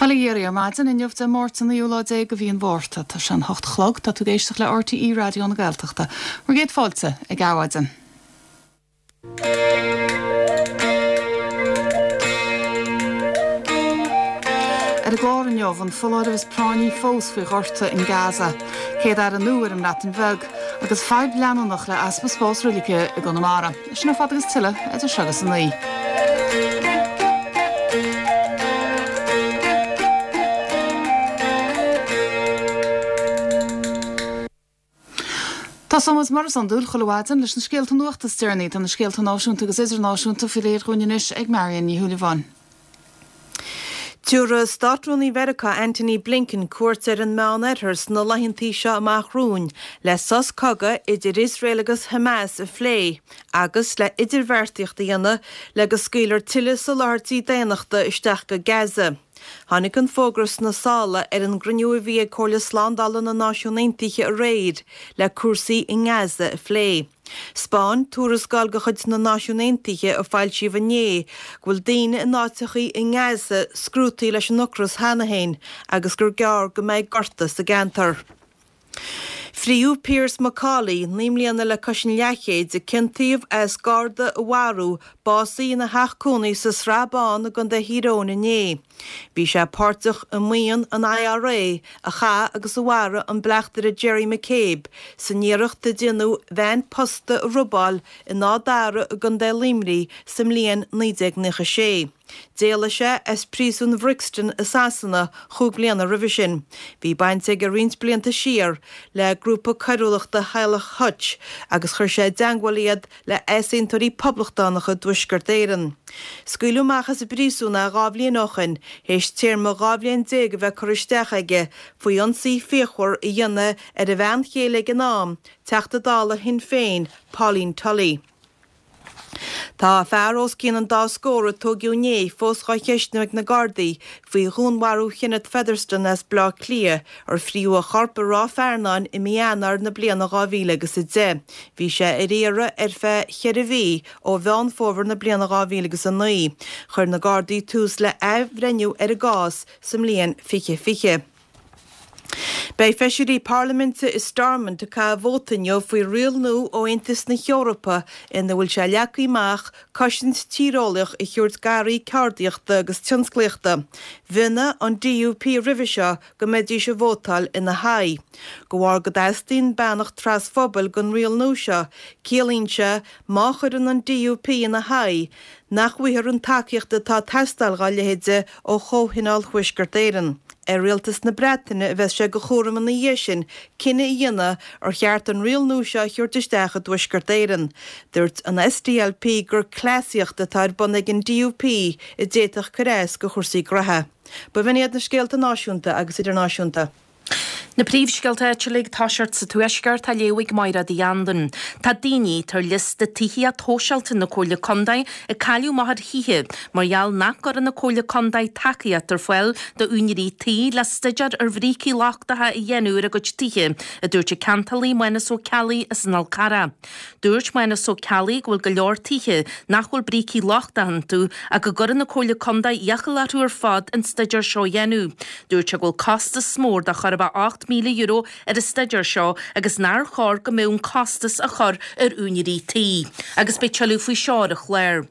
Bail ó Dhia oraibh ar maidin inniu Dé Máirt an naoú lá déag de mhí an Mhárta. Tá sé an hocht a chlog, tá tú ag éisteacht le RTÉ Raidió na Gaeltachta. Bhur gcéad fáilte ag Adhmhaidin. Ar an gclár inniu, an foláireamh is práinní fós faoi ghorta in Gaza, Céad-Aire nua ar an mBreatain Bheag, agus fadhb leanúnach le easpa spás roilige i gConamara. Sin ar fad agus tuilleadh idir seo agus a naoi. Tosóimid mar is iondúil chuile mhaidin leis na scéalta nuachta is deireanaí. Tá na scéalta náisiúnta agus idirnáisiúnta faoi léir dhúinn anois ag Marion Ní Shúilleabháin. Tabharfaidh Státrúnaí Mheiriceá Antony Blinken cuairt ar an Meánoirthear sna laethantaí seo amach romhainn le sos cogaidh idir Iosrael agus Hamas a phlé agus le idirbheartaíocht a dhéanamh le go scaoilfear tuilleadh soláthairtí daonnachta isteach go Gaza. Tháinig an fógra sna sála ar an gcruinniú a bhí ag Comhairle Slándála na Náisiún Aontaithe aréir le cúrsaí i nGaza a phlé. 'Spáin tuarascáil de chuid na Náisiún Aontaithe a foilsíodh inné go bhfuil daoine in áiteachaí i nGaza scrúdtaí leis an ocras cheana féin agus gur gearr go mbeidh gorta sa gceantar. Frítheadh Pearse McCauley, 9 mbliana le cois an leathchéid, a ciontaíodh as garda a mharú, básaithe ina theach cónaí sa Srath Bán i gContae Thír Eoghain inné. Bhí sé páirteach i mbuíon an IRA a chaith agus a mharaigh an bleachtaire Gerry McCabe san iarracht a déanadh veain posta a robáil in Áth Dara i gContae Luimnigh sa mbliain 1996. D'éalaigh sé as príosún Bhrixton i Sasana chúig bliana roimhe sin. Bhí baint aige roinnt blianta siar le grúpa coiriúlachta Theaghlach Hutch agus chuir sé i dteangmháil iad le easaontóirí poblachtánacha i dTuaisceart Éireann. Scaoileadh amach as an bpríosún é 2 bhliain ó shoin, théis téarma 12 bhliain a bheith curtha isteach aige faoi ionsaí fíochmhar a dhéanamh ar a bhean chéile ag an am, Teachta Dála Shinn Féin, Pauline Tully. Tá fear os cionn an dá scór a tóigeadh inné fós dhá cheistniú ag na Gardaí faoi dhúnmharú Kenneth Featherstone as Bleá Cliath, ar frítheadh a chorp i Ráth Fearnáin i mí Eanáir na bliana 2000 agus 10. Bhí sé ar iarraidh ar feadh cheithre mhí ó Mheán Fómhair na bliana 2000 agus 9. Chuir na Gardaí tús le athbhreithniú ar an gcás sa mbliain 2020. Beidh feisirí parlaiminte i Stormont ag caitheamh vóta inniu faoi riail nua ó Aontas na hEorpa ina bhfuil sé leagtha amach cosaint tíreolaíoch a thabhairt d'earraí ceardaíochta agus tionsclaíochta. Mhionnaigh an DUP roimhe seo go mbeidís ag vótáil ina haghaidh. De bharr go dteastaíonn beannacht trasphobail don riail nua seo, ciallaíonn sé, má chuireann an DUP ina haghaidh, nach bhfaighfear an tacaíocht atá ag teastáil dhá leithéide ó Chomhthionól Thuaisceart Éireann. Ar Rialtas na Breataine a bheas sé de chúram ina dhiaidh sin cinneadh a dhéanamh ar cheart an riail nua seo a thabhairt isteach i dTuaisceart Éireann. Dúirt an SDLP gur cleasaíocht atá ar bun ag an DUP a d'fhéadfadh cur as do chúrsaí graithe. B'in iad na scéalta náisiúnta agus idirnáisiúnta. Na príomhscéalta áitiúla ag toiseacht sa Tuaisceart á léamh ag Mairéad Uí Anluain. Tá daoine atá ar liosta tithíocht shóisialta na Comhairle Contae ag cailleadh amach ar thithe mar gheall nach gcuireann an Comhairle Contae tacaíocht ar fáil d'úinéirí tí le staidéar ar bhrící lochtacha a dhéanamh ar a gcuid tithe, a dúirt an ceantálaí Mánas Ó Ceallaigh as an Fhál Carrach. Dúirt Mánas Ó Ceallaigh go bhfuil go leor tithe nach bhfuil brící lochtacha iontu ach go gcuireann an Comhairle Contae iachall orthu ar fad an staidéar seo a dhéanamh. Dúirt sé go bhfuil costas mór de chóir a bheith €8,000 ar an staidéar seo agus nár chóir go mbeadh an costas á chur ar úinéirí tí. Agus beidh tuilleadh faoi seo ar an chlár.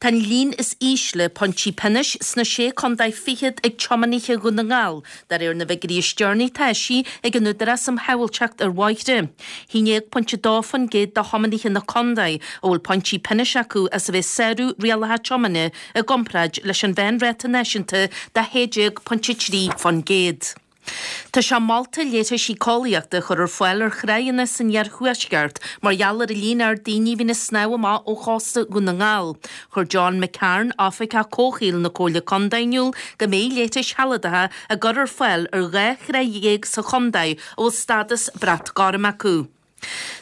Tá an líon is ísle pointí pionóis sna Sé Contae Fichead ag tiománaithe Dhún na nGall, de réir na bhfigiúirí is deireanaí atá eisithe ag an Údarás um Shábháilteacht ar Bhóithre. 11.2% de thiománaithe na contae a bhfuil pointí pionóis acu as a bheith ag sárú rialacha tiomána i gcomparáid leis an mheánráta náisiúnta de 16.3%. Tá sé molta leithreas síceolaíochta a chur ar fáil ar thráigheanna san iarthuaisceart mar gheall ar an líon ard daoine a bhíonn ag snámh amach ó chósta Dhún na nGall. Chuir John McCarn, Oifigeach Comhshaoil na Comhairle Contae in iúl go mbeidh leithris shealadacha á gcur ar fáil ar 12 thráigh sa chontae a bhfuil stádas Brat Gorm acu.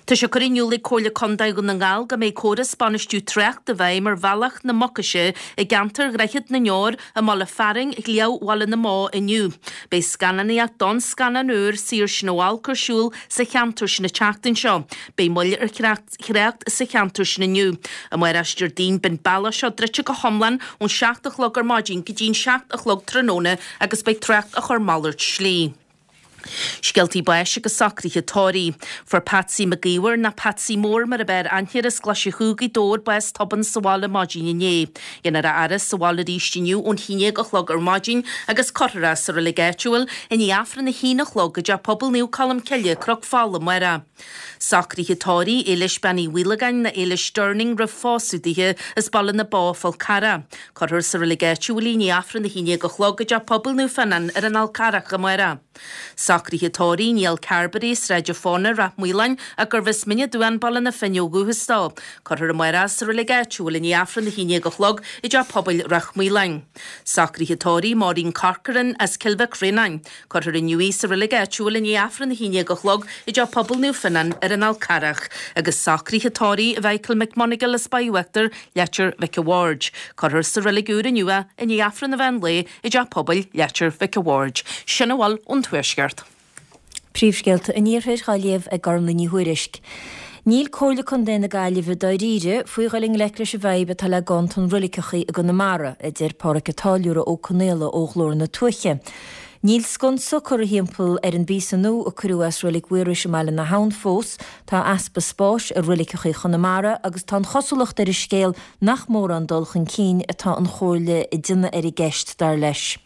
Tá sé curtha in iúl ag Comhairle Contae Dhún na nGall go mbeidh córas bainistiú tráchta i bhfeidhm ar Bhealach na Mucaise i gceantar Dhroichead na nDeor i mbaile fearainn Shliabh Bhaile na mBó inniu. Beidh scannánaíocht don scannán úr Saor Sin Ó Olc ar siúl sa cheantar sin an tseachtain seo. Beidh moill ar thrácht sa cheantar sin inniu. Amárach Déardaoin beidh an bealach seo druidte go hiomlán ón 7 a chlog ar maidin go dtí'n 7 a chlog tráthnóna agus beidh trácht á chur malairt slí. Scéaltaí báis agus socruithe tórraimh. Fuair Patsy Mac Íomhair, nó Patsy Mór mar ab fhearr aithne air, as Glaise Chú, Gaoth Dobhair, bás tobann sa bhaile maidin inné. Déanfar a fhaire sa bhaile arís inniu ón haon déag a chlog ar maidin agus cuirfear é sa reilig áitiúil i ndiaidh Aifreann a haon a chlog i dTeach Pobail Naomh Colm Cille, Cnoc Fola, amárach. Socruithe tórraimh, Éilis Bean Uí Mhaolagáin nó Éilis Durning roimh phósadh dithe as Baile na Bó, Fál Carrach. Cuirfear sa reilig áitiúil í i ndiaidh Aifreann a haon déag a chlog i dTeach Pobail Naomh Fionnán ar an Fhál Carrach amárach. Socruithe tórraimh, Niall Carberry, Sráid a' Fána, Rath Maoláin, ach gurbh as Mín an Duáin, Baile na Finne ó dhúchas dó. Cuirfear amárach sa reilig áitiúil i ndiaidh Aifreann a haon déag a chlog i dTeach Pobail Rath Maoláin. Socruithe tórraimh, Maureen Corcoran as Cill Mhic Réanáin. Cuirfear inniu í sa reilig áitiúil i ndiaidh Aifreann a haon déag a chlog i dTeach Pobail Naomh Fionnán ar an Fhál Carrach agus socruithe tórraimh Mhichael McMonagle as Baile Uachtair, Leitir Mhic a' Bhaird. Cuirfear sa reilig úr inniu é i ndiaidh Aifreann an mheán lae i dTeach Pobail Leitir Mhic a' Bhaird. Sin a bhfuil ón Tuaisceart. Príomhscéalta an Iarthair á léamh ag Gormlaith Ní Thuairisg. Níl Comhairle Contae na Gaillimhe dáiríre faoi dhul i ngleic leis an bhfadhb atá le ganntan roiliceachaí i gConamara, a deir Pádhraic Ó Táilliúra Ó Conaola ó Ghlór na Tuaithe. Níl sconsa curtha thimpeall ar an bpíosa nua a cuireadh as Reilig Mhaorais i mBaile na hAbhann fós, tá easpa spáis i roiliceachaí Chonamara agus tá an chosúlacht ar an scéal nach mórán dul chun cinn atá an Chomhairle ag déanamh ar an gceist, dar leis.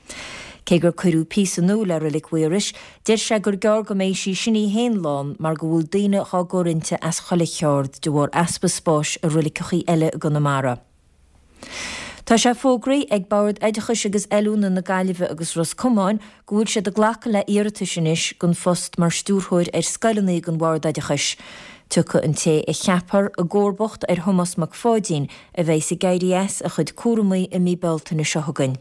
Cé gur cuireadh píosa nua le Reilig Mhaorais, deir sé gur gearr go mbeidh sí sin í féin lán mar go bhfuil daoine dhá gcur inti as chuile cheard de bharr easpa spáis i roiliceachaí eile i gConamara. Tá sé fógraithe ag Bord Oideachais agus Oiliúna na Gaillimhe agus Ros Comáin go bhfuil siad ag glacadh le iarratais anois don phost mar stiúrthóir ar scoileanna don Bhord Oideachais. Tiocfaidh an té a cheapfar i gcomharbacht ar Thomás Mac Pháidín a bheidhs ag éirí as a chuid cúramaí i mí Bealtaine seo chugainn.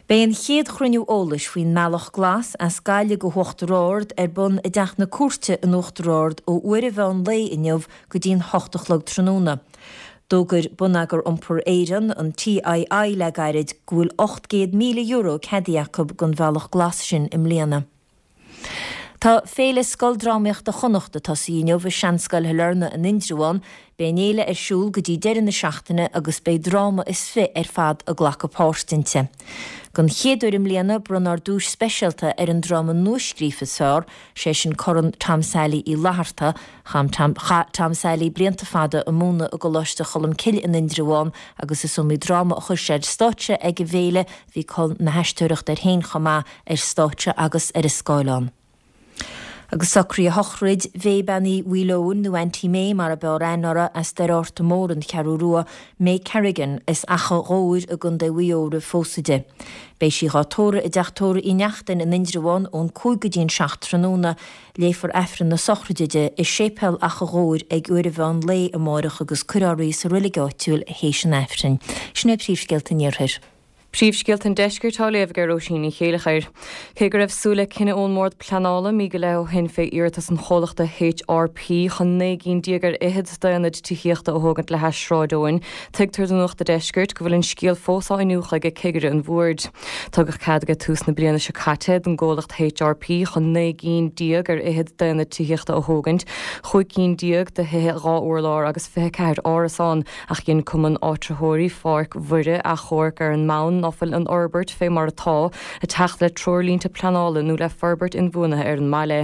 Beidh an chéad chruinniú eolais faoin mBealach Glas as Gaillimh go hUachtar Ard ar bun i dTeach na Cúirte in Uachtar Ard ó uair an mheán lae inniu go dtí'n hocht a chlog tráthnóna. D'fhógair Bonneagar Iompair Éireann, an TII, le gairid go bhfuil €800,000 ceadaithe acu don Bhealach Glas sin i mbliana. Tá Féile Scoildrámaíochta Chonnacht ag tosaí inniu i Seanscoil Shailearna in Indreabhán. Beidh an fhéile ar siúl go dtí deireadh na seachtaine agus beidh dráma is fi ar fad ag glacadh páirt inti. Don chéad uair i mbliana bronnfar duais speisialta ar an dráma nuascríofa is fearr, sé sin Corn Tom Sailí Uí Fhlatharta. Chaith Tom Sailí blianta fada ag múineadh i gColáiste Cholmcille in Indreabhán agus is iomaí dráma a chuir sé ar stáitse ag an bhféile. Bhí col na haisteoireachta air féin chomh maith. ar stáitse agus ar an scáileán. Agus socruithe shochraid Mhay Bean Uí Mhaoileoin, nó Auntie May mar ab fhearr aithne uirthi, as Doire Fhorta Mór, An Cheathrú Rua, May Kerrigan, as Achadh Ghobhair i gContae Mhaigh Eo roimh phósadh di. Beidh sí dhá tórramh i dTeach Tórraimh Uí Neachtain in Indreabhán ón 5 go dtí an 7 tráthnóna. Léifear Aifreann na sochraide di i Séipéal Achadh Ghobhair ag uair an mheán lae amáireach agus cuirfear í sa reilig áitiúil théis an Aifrinn. Sin é príomhscéalta an Iarthair. Príomhscéalta an Deiscirt á léamh ag Róisín Ní Chéileachair. Cé go raibh súil le cinneadh ón mBord Pleanála mí go leith ó shin fé iarratas an chomhlachta HRP chun 19 gcinn ar fhichead d'aonaid tithíochta a thógaint le hais Sráid Eoin, tuigtear do Nuacht a' Deiscirt go bhfuil an scéal fós á iniúchadh ag cigire an bhoird. Tugadh cead ag tús na bliana seo caite don gcomhlacht HRP chun 19 gcinn ar fhichead d'aonaid tithíochta a thógaint, 15 cinn de thithe 2 urlár agus 24 árasán. Ach dhein Cumann Áitritheoirí Pháirc Mhuire achomharc ar an mbonn ná fuil an fhorbairt fé mar atá ag teacht le treoirlínte pleanála nó le forbairt inbhuanaithe ar an mbaile.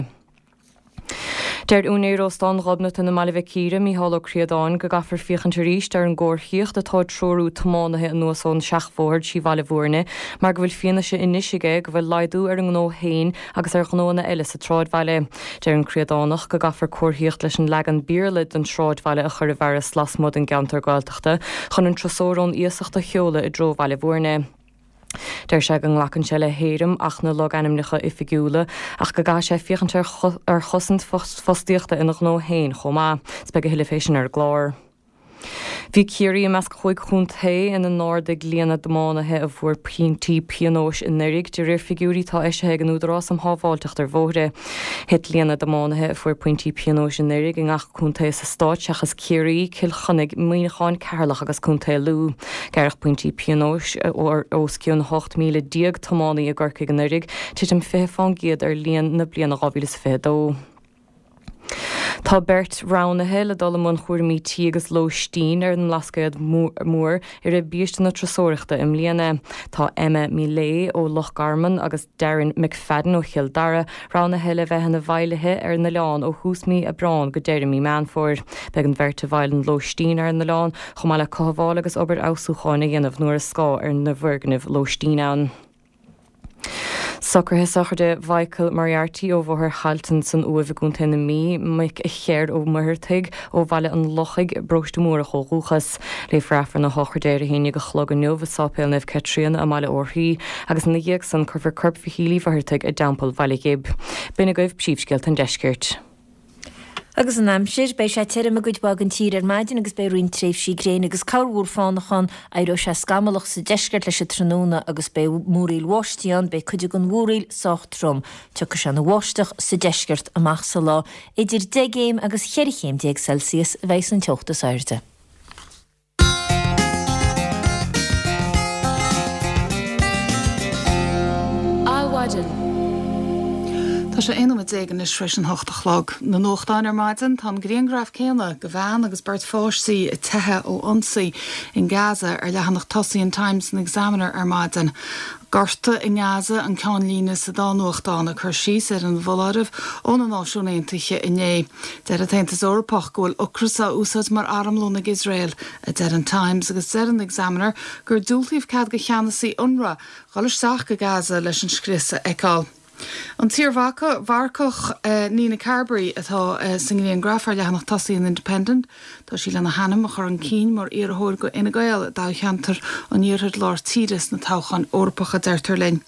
Deir úinéir Óstán Ghobnatan i mBaile Mhic Íre, Mícheál Ó Críodáin, go gcaithfear féachaint arís ar an gcomharthaíocht atá ag treorú tiománaithe anuas ón seachbhóthar trí Bhaile Bhúirne mar go bhfuil fianaise anois aige go bhfuil laghdú ar an ngnó féin agus ar ghnóanna eile sa tsráidbhaile. Deir an Críodánach go gcaithfear comharthaíocht leis an leagan Béarla den sráidbhaile a chur i bhfearas lasmuigh den gceantar Gaeltachta chun an turasóir ón iasacht a sheoladh i dtreo Bhaile Bhúirne. Deir sé go nglacann sé le héirim Acht na Logainmneacha Oifigiúla ach go gcaithfidh sé féachaint ar chosaint fostaíochta ina ghnó féin chomh maith. 'S beidh a thuilleadh fé sin ar an gclár. Bhí. Bhí Ciarraí i measc chúig chontae ina n-ardaigh líon na dtiománaithe a fuair pointí pionóis anuraidh, de réir figiúirí atá eisithe ag an Údarás um Shábháilteacht ar Bhóithre. Thit líon na dtiománaithe a fuair pointí pionóis anuraidh i ngach contae sa stát seachas Ciarraí, Cill Chainnigh, Muineachán, Ceatharlach agus Contae Lú. Gearradh pointí pionóis ar os cionn 18,000 tiománaí i gCorcaigh anuraidh, titim 20 fán gcéad ar líon na bliana 2022. Tá beirt roghnaithe le dul i mbun chúraimí tí agus lóistín ar an mBlascaod Mór i rith biaiste na turasóireachta i mbliana. Tá Emma Millea ó Loch Garman agus Darren McFadden ó Chill Dara roghnaithe le bheith ina bhfeighlithe ar an oileán ó thús mí Aibreáin go deireadh mí Meán Fómhair. Beidh an bheirt i bhfeighil an lóistín ar an oileán, chomh maith le cothabháil agus obair fheabhsúcháin a dhéanamh nuair is gá ar na foirgnimh lóistín ann. Socruithe sochraide Mhichael Moriarty ó Bhóthar Thailtean san Uaimh i gContae na Mí, mic Cher Ó Muircheartaigh ó Bhaile an Lochaigh, Paróiste Múrach ó dhúchas. Léifear Aifreann na sochraide ar a haon dhéag a chlog inniu i Sáipéal Naomh Caitríona i mBaile Átha agus ina dhiaidh san cuirfear corp Mhichíl Uí Mhuircheartaigh i dTeampall Bhaile Ghib. B'in agaibh príomhscéalta an deiscirt. Agus an aimsir, beidh sé tirim i gcuid mhaith den tír ar maidin agus beidh roinnt tréimhsí gréine agus corrmhúr fánach ann. Éireoidh sé scamallach sa deisceart leis an tráthnóna agus beidh múraíl bháistí ann. Beidh cuid den mhúraíl sách trom. Tiocfaidh sé ina bháisteach sa deisceart amach sa lá. Idir 10 gcéim agus 14 chéim Celsius a bheidh san teocht is airde. Adhmhaidin. Tá sé 11 nóiméad anois tar éis an hocht a chlog. Na nuachtáin ar maidin, tá an grianghraf céanna de bhean agus beirt pháistí ag teitheadh ó ionsaí in Gaza ar leathanach tosaigh an Times and Examiner ar maidin. Gorta i nGaza an ceannlíne sa dá nuachtán ag cur síos ar an bhfoláireamh ó na Náisiúin Aontaithe inné. Deir an tAontas Eorpach go bhfuil ocras á úsáid mar armlón ag Iosrael, a deir an Times, agus deir an Examiner gur diúltaíodh cead do cheannasaí Unrwa dhul isteach go Gaza leis an scrios a fheiceáil. An t-iar-mharcach Nina Carberry atá sa ngrianghraf ar leathanach tosaigh an Independent. Tá sí lena hainm a chur chun cinn mar iarrthóir do Fhine Gael i dtoghcheantar an Iarthair Lár Tíre sna toghcháin Eorpacha, deirtear linn.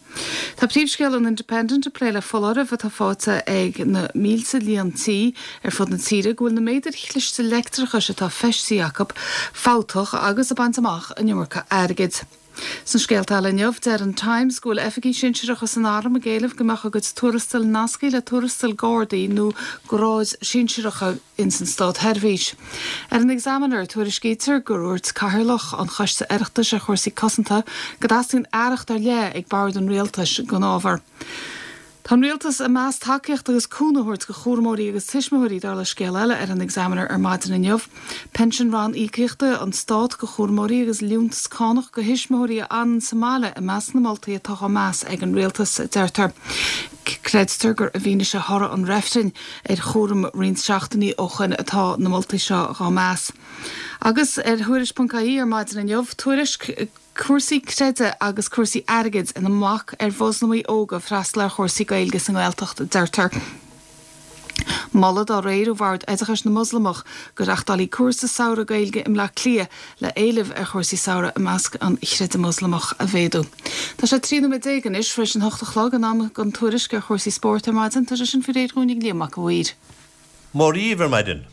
Tá príomhscéal an Independent ag plé le foláireamh atá faighte ag na mílte líon tí ar fud na tíre go bhfuil na méadair chliste leictreachais atá feistithe acu fabhtach agus ag baint amach an iomarca airgid. Sna scéalta eile inniu, deir an Times go bhfuil oifigigh shinsearacha san arm ag éileamh go mbeadh a gcuid tuarastail nasctha le tuarastail Gardaí nó gráid shinsearacha ins an státsheirbhís. Ar an Examiner, tuairiscítear gur dhúirt Cathaoirleach an Choiste Oireachtais ar chúrsaí cosanta go dteastaíonn aireacht ar leith ag bord an rialtais don ábhar. Tá an Rialtas ag meas tacaíocht agus cúnamh a thabhairt do chúramóirí agus tuismitheoirí, dar le scéal eile ar an Examiner ar maidin inniu. Pinsean ranníocaíochta an Stát do chúramóirí agus liúntas cánach do thuismitheoirí a fhanann sa mbaile i measc na moltaí atá á meas ag an Rialtas, a deirtear. Creidtear gur i bhfianaise thoradh an reifrinn ar chúram roinnt seachtainí ó shoin atá na moltaí seo dhá meas. Agus ar Thuairisc.ie ar maidin inniu, tuairisc. Cúrsaí creidimh agus cúrsaí airgid ina mbac ar Mhoslamaigh óga freastal ar chúrsaí Gaeilge sa nGaeltacht, a deirtear. Moladh dá réir ó Bhord Oideachais na Moslamach go reachtálfaí cúrsa samhraidh Gaeilge i mBleá Cliath le éileamh ar chúrsaí samhraidh i measc an chreidimh Moslamach a mhéadú. Tá sé 13 nóiméad anois tar éis an hocht a chlog, in am don tuairisc ar chúrsaí spóirt ar maidin. Tá sé sin faoi réir dhúinn ag Liam Mac a' Mhaoir. Mora dhíbh ar maidin.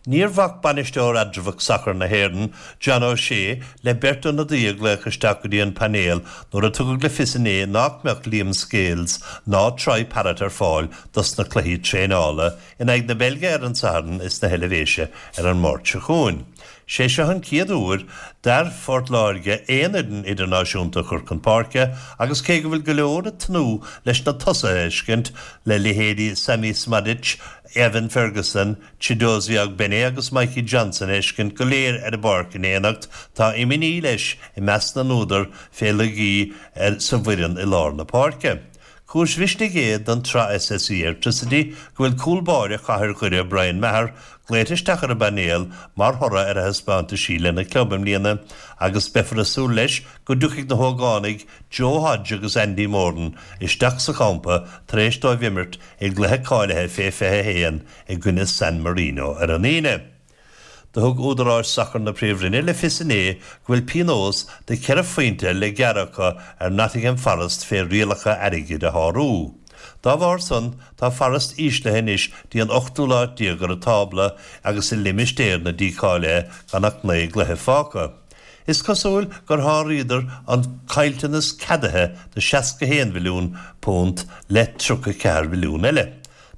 Níor bhac bainisteoir eatramhach sacair na hÉireann, John O'Shea, le beirt ionadaí a ghlaoch isteach go dtí an painéal nuair a tugadh le fios inné nach mbeadh Liam Scales ná Troy Parrott ar fáil dos na cluichí traenála in aghaidh na Beilge ar an Satharn is na hEilvéise ar an Máirt seo chugainn. Sé seo an chéad uair d'fhear Phort Láirge aon fhoireann idirnáisiúnta a chur chun páirce agus cé go bhfuil go leor ag tnúth leis na tosaithe a fheiscint, le leithéidí Sammy Szmodics, Evan Ferguson, Chiedozie Ogbene agus Mikey Johnston a fheiscint go léir ar an bpáirc in éineacht, tá imní leis i measc na n-údar fé laigí sa bhfoireann i lár na páirce. Cúis mhisnigh é don tsraith SSE Airtricity go bhfuil cúl báire chathair Dhoire Brian Maher glaoite isteach ar an bpainéal mar thoradh ar a thaispeántaisí lena chlub i mbliana agus beifear ag súil leis go dtiocfaidh na hógánaigh Joe Hodge agus Andy Moran isteach sa champa tar éis dóibh imirt i gcluiche cáilithe fé 21 i gcoinne San Marino ar an Aoine. Do thug údaráis sacair na Príomhroinne le fios inné go bhfuil pionós de cheithre phointe le gearradh acu ar Nottingham Forest fé rialacha airgid a shárú. Dá bharr san, tá Forest íslithe anois dtí an ochtú lá déag ar an tábla agus i limistéar na dícháilithe gan ach 9 gcluiche fágtha. Is cosúil gur sháraíodar an caillteanas ceadaithe de £61 mhilliún le 34 mhilliún eile.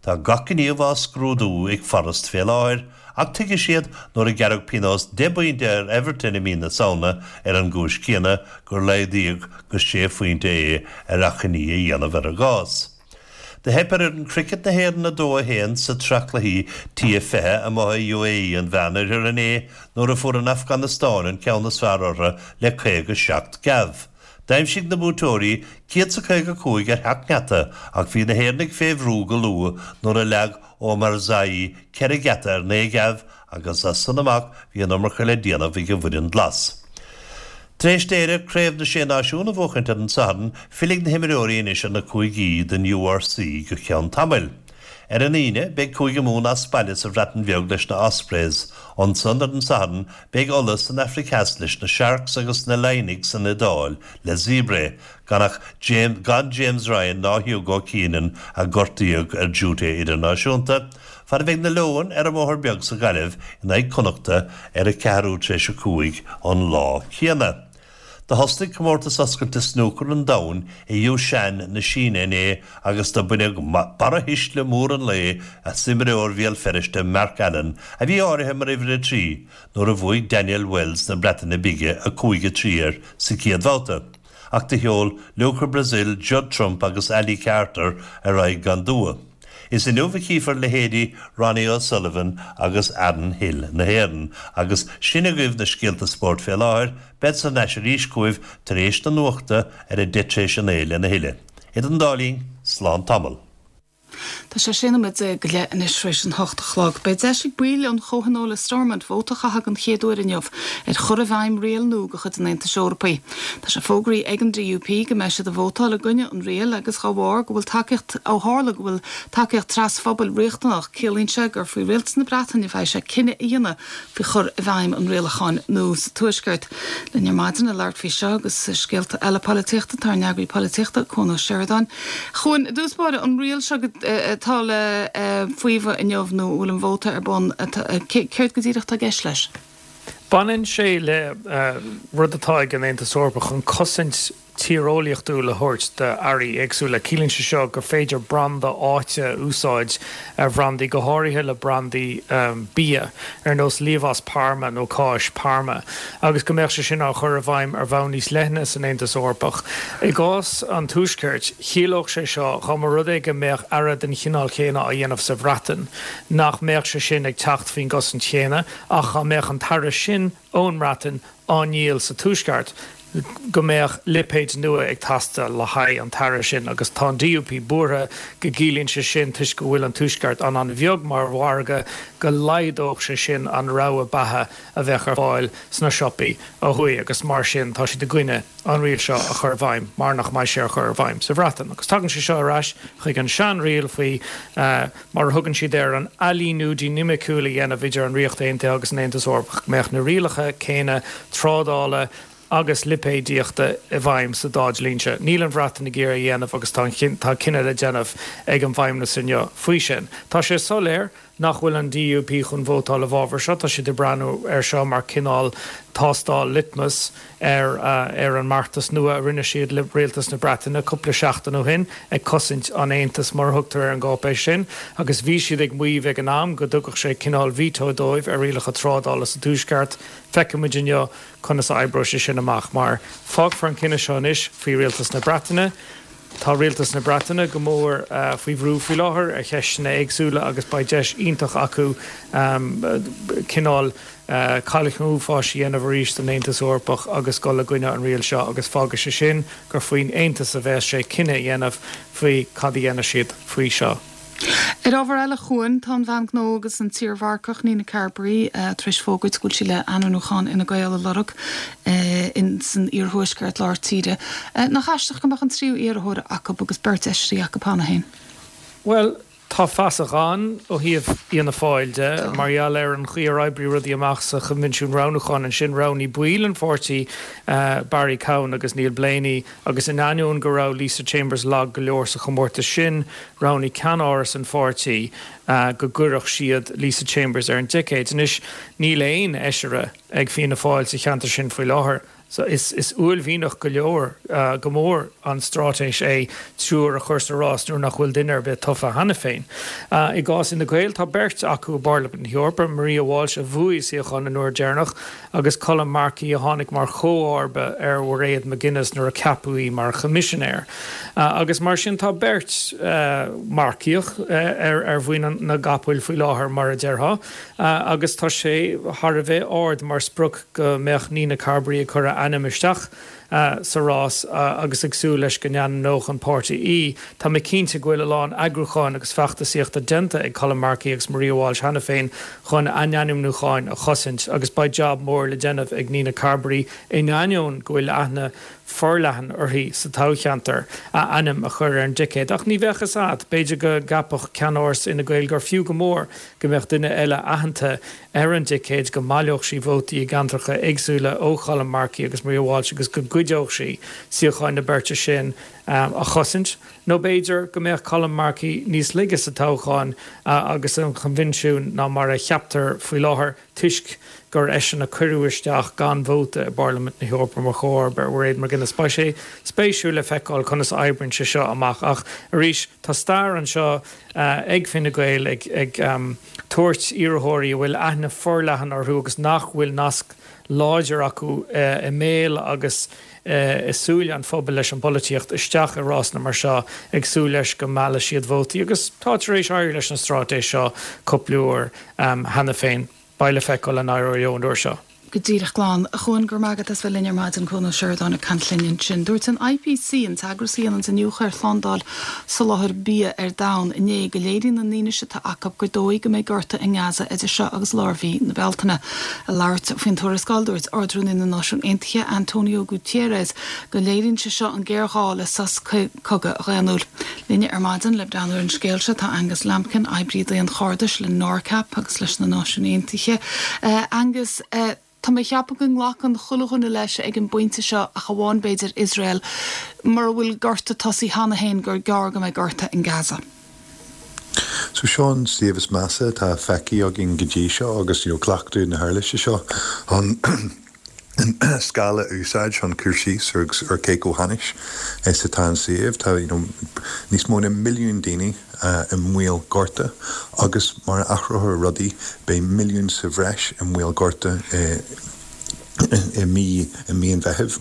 Tá gach gníomh á scrúdú ag Forest fé láthair ach tuigfidh siad nuair a gearradh pionós 10 bpointe ar Everton i mí na Samhna ar an gcúis chéanna gur laghdaíodh go sé phointe é ar achainí a dhéanamh ar a gcás. Do theip ar fhoireann cricket na hÉireann 2, 1 sa tsraith cluichí T20 amuigh i UAE an Mheánoirthir inné nuair a fuair an Afganastáin an ceann is fearr orthu le 57 geábh. D'aimsigh na buaiteoirí 155 ar sheacht ngeata ach bhí na hÉireannaigh fé bhrú go luath nuair a leag Omarzai ceithre gheata ar naoi ngeábh agus as san amach bhí an iomarca le déanamh ag an bhfoireann Glas. Tar éis d'Éire Craobh na Sé Náisiún a bhuachaint ar an Satharn, fillfidh na himreoirí anois ar na cúigí don URC go ceann tamaill. Ar an Aoine, beidh Cúige Mumhan as baile sa Bhreatain Bheag leis na Ospreys. Ansan ar an Satharn, beidh Ulaidh san Afraic Theas leis na Sharks agus na Laighnigh san Iodáil le Zebre, gan ach gan James Ryan ná Hugo Keenan a gortaíodh ar duty idirnáisiúnta, fad a bheidh na Leoin ar an mBóthar Beag sa Ghaillimh in aghaidh Connachta ar a ceathrú tar éis a 5 an lá céanna. Do thosnaigh Comórtas Oscailte Snúcair an Domhain i Yushan na Síne inné agus do baineadh barrathuisle mór an lae as imreoir Bhéal Feirste Mark Allen a bhí áirithe mar uimhir 3 nuair a bhuaigh Daniel Wells na Breataine Bige 5-3 air sa chéad bhabhta. Ach do sheol Luca Brazil, Judd Trump agus Ali Carter ar aghaidh gan dua. Is inniu a chífear leithéidí Ronnie O'Sullivan agus Aaron Hill na hÉireann agus sin agaibh na scéalta spóirt fé láthair, bead thar n-ais arís chugaibh tar éis na nuachta ar a deich tar éis a naoi lena thuilleadh. Idir an dá linn, slán tamall. Tá sé sé nóiméad déag go leith anois tar éis an hocht a chlog. Beidh deis ag baill an Chomhthionóil i Stormont vóta a chaitheamh den chéad uair inniu ar chur i bhfeidhm riail nua de chuid an Aontais Eorpaigh. Tá sé fógraithe ag an DUP go mbeidh siad ag vótáil i gcoinne an riail agus dá bharr go bhfuil tacaíocht, ó tharla go bhfuil tacaíocht trasphobail riachtanach, ciallaíonn sé gur faoi Rialtas na Breataine a bheidh sé cinneadh a dhéanamh faoi chur i bhfeidhm an rialacháin nua sa Tuaisceart. Linn ar maidin le labhairt faoi seo agus scéalta eile polaitíochta tá ár n-eagraí polaitíochta, Cuan Ó Seireadáin. A Chuain, i dtús báire, an riail seo atá le faomhadh inniu nó a bhfuil an vóta ar bun, céard go díreach atá i gceist leis? Baineann sé le rud atá ag an Aontas Eorpach chun cosaint tíreolaíochtúil a thabhairt d'earraí éagsúla. Ciallaíonn sé seo gur féidir branda áite a úsáid ar bhrandaí, go háirithe le brandaí bia, ar nós liamhás Parma nó cáis Parma, agus go mbeadh sé sin á chur i bhfeidhm ar bhonn níos leithne san Aontas Eorpach. I gcás an Tuaiscirt, chiallódh sé seo, dá mba rud é go mbeadh earra den chineál chéanna á dhéanamh sa Bhreatain, nach mbeadh sé sin ag teacht faoin gcosaint chéanna, ach dá mbeadh an t-earra sin ón mBreatain á ndíol sa Tuaisceart, go mbeadh lipéid nua ag teastáil le haghaidh an t-earra sin agus tá an DUP buartha go gciallaíonn sé sin, toisc go bhfuil an Tuaisceart an-an-bheag mar mhargadh, go laghdódh sé sin an rogha beatha a bheadh ar fáil sna siopaí ó thuaidh agus mar sin tá siad i gcoinne an riail seo a chur i bhfeidhm mar nach mbeidh sé á chur i bhfeidhm sa Bhreatain. Agus tagann sé seo ar ais chuig an seanriail faoi mar a thugann siad air, an ailíniú dinimiciúil a dhéanamh idir an Ríocht Aontaithe agus an Aontas Eorpach, go mbeadh na rialacha céanna trádála agus lipéadaíochta i bhfeidhm sa dá dlínse. Níl an Bhreatain ag iarraidh a dhéanamh agus tá tá cinneadh le déanamh ag an bhFeidhmeannas inniu faoi sin. Tá sé soiléir nach bhfuil an DUP chun vótáil i bhfabhar seo. Tá siad ag breathnú air seo mar cineál tástáil litmus ar ar an mbeartas nua a rinne siad le Rialtas na Breataine cúpla seachtain ó shin, ag cosaint an Aontais mar a thugtar ar an gcáipéis sin, agus bhí siad ag maíomh ag an am go dtugfadh sé cineál veto dóibh ar rialacha trádála sa Tuaisceart. Feicfidh muid inniu conas a oibreoidh sé sin amach, mar fágfar an cinneadh seo anois faoi Rialtas na Breataine. Tá Rialtas na Breataine go mór faoi bhrú faoi láthair ar cheisteanna éagsúla agus beidh deis iontach acu cineál cailc an uafáis a dhéanamh arís den Aontas Eorpach agus dul i gcoinne an riail seo agus fágfaidh sé sin gur faoin Aontas a bheas sé cinneadh a dhéanamh faoi cad a dhéanfaidh siad faoi seo. Ar ábhar eile, a Chuain, tá an bhean gnó agus an t-iarmharcach Nina Carberry tar éis fógairt go bhfuil sí le ainmniúchán Fhine Gael a lorg in san iarthuaisceart lár tíre. Nach aisteach go mbeadh an tríú iarrthóir acu agus beirt fheisirí acu cheana féin? Bhuel. Tá fasach ann ó thaobh Fhianna Fáil de, mar gheall ar an chaoi ar oibrigh rudaí amach sa Choinbhinsiún Roghnúcháin ansin, roghnaigh baill an pháirtí Barry Cowen agus Neil Blaney agus in ainneoin go raibh Lisa Chambers lag go leor sa chomórtas sin, roghnaigh ceannáras an pháirtí go gcuirfeadh siad Lisa Chambers ar an dticéad. Anois, níl aon fheisire ag Fianna Fáil sa cheantar sin faoi láthair. So is uaillmhianach go leor, go mór an straitéis é triúr a chur sa rás nuair nach bhfuil duine ar bith tofa cheana féin. I gcás Fhine Gael, tá beirt acu i bParlaimint na hEorpa, Maria Walsh a bhuaigh suíochán an uair deireanach agus Colm Markey a tháinig mar chomharba ar Mhairéad McGuinness nuair a ceapadh í mar Choimisinéir. Agus mar sin tá beirt Marcaíoch ar mhuin na gcapall faoi láthair mar a déarfá. Agus tá sé thar a bheith ard mar sprioc go mbeadh Nina Carberry ag cur a ainm isteach sa rás agus ag súil leis go n-ainmneodh an páirtí í. Tá mé cinnte go bhfuil a lán eagrúcháin agus feachtasaíochta déanta ag Colm Markey agus Maria Walsh cheana féin chun a n-ainmniúcháin a chosaint agus beidh jab mór le déanamh ag Nina Carberry in ainneoin go bhfuil aithne forleathan uirthi sa toghcheantar, a ainm a chur ar an dticéad. Ach ní bheadh fhios a'd, b'fhéidir go gceapfadh ceannáras Fhine Gael gur fiú go mór go mbeadh duine eile aitheanta ar an dticéad, go mbaileodh sí vótaí i gceantracha éagsúla ó Cholm Markey agus Maria Walsh agus go gcuideodh sí suíocháin na beirte sin a chosaint. Nó b'fhéidir go mbeadh Colm Markey níos laige sa toghchán agus an choinbhinsiún ná mar a cheaptar faoi láthair toisc gur eisean a cuireadh isteach gan vóta i bParlaimint na hEorpa mar chomharba ar Mhairéad McGuinness. Beidh sé spéisiúil le feiceáil conas a oibríonn sé seo amach ach arís tá stair anseo ag Fine Gael ag tabhairt iarrthóirí a bhfuil aithne forleathan orthu agus nach bhfuil nasc láidir acu i mbéal agus i súile an phobail leis an bpolaitíocht isteach i rásanna mar seo ag súil leis go meallfaidh siad vótaí agus tá tar éis éirí leis an straitéis seo cúpla uair cheana féin. Beidh le feiceáil an éireoidh leo an uair seo. Go díreach glan. A Chuain, go raibh maith agat as bheith linn ar maidin, Cuan Ó Seireadáin ag caint linn ansin. Dúirt an IPC, an t-eagras a dhéananns iniúchadh ar shlándáil soláthair bia ar domhan, inné go léiríonn an fhianaise atá acu gur dóigh go mbeidh gorta i nGaza idir seo agus lár mhí na Bealtaine. Ag labhairt faoin tuarascáil, dúirt Ard-Rúnaí na Náisiún Aontaithe, Antonio Guterres, go léiríonn sé seo an géarghá le sos cogaidh dhaonnúil. Linne ar maidin le breathnú ar an scéal seo tá Angus Lambkin, oibrí daonchairdis le NORCAP agus leis na Náisiúin Aontaithe. Angus, tá mé a cheapadh go nglacann chuile dhuine leis ag an bpointe seo, ach amháin b'fhéidir Iosrael, mura bhfuil gorta tosaithe cheana féin, gur gearr go mbeidh gorta in Gaza. So seo an suíomh is measa atá feicthe againn go dtí seo agus you know cleachtadh na huirlise seo chun an scála a úsáid chun cur síos ar cé chomh hainnis is atá an suíomh. Tá you know níos mó ná milliún daoine i mbaol gorta agus mar a athrófar rudaí beidh milliún sa bhreis i mbaol gorta i mí i mí an Mheithimh.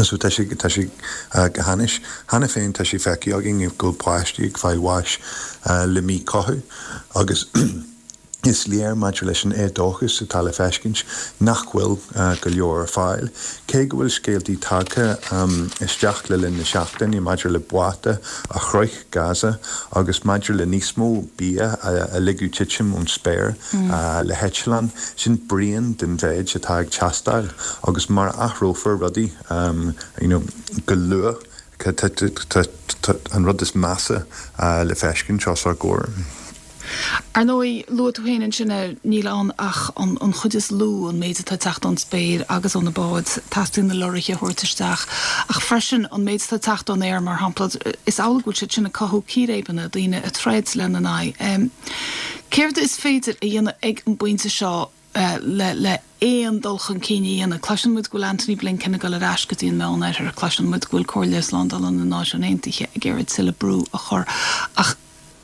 So tá sé tá sé go hainnis. Cheana féin tá sé feicthe againn go bhfuil páistí ag fáil bháis le míchothú agus Is léir maidir leis an éadóchas atá le feiscint nach bhfuil go leor ar fáil. Cé go bhfuil scéaltaí tagtha isteach le linn na seachtaine maidir le báta a shroich Gaza agus maidir le níos mó bia a ligeadh titim ón spéir le heitleán, sin braon den mhéid atá ag teastáil agus mar a athrófar rudaí go luath tá an rud is measa le feiscint os ár gcomhair. Ar ndóigh, luaigh tú féin ansin é, níl ann ach an chuid is lú, an méid atá ag teacht ón spéir agus ó na báid, teastaíonn na lorraithe a thabhairt isteach, ach freisin an méid atá ag teacht ón aer, mar shampla, is amhlaidh go bhfuil siad sin ag cothú círéibeanna, daoine ag troid lena n-aghaidh. Céard is féidir a dhéanamh ag an bpointe seo le le aon dul chun cinn a dhéanamh? Cloiseann muid go bhfuil Antony Blinken ag dul ar ais go dtí an Meánoirthear, cloiseann muid go bhfuil Comhairle Slándála na Náisiún Aontaithe ag iarraidh tuilleadh brú a chur, ach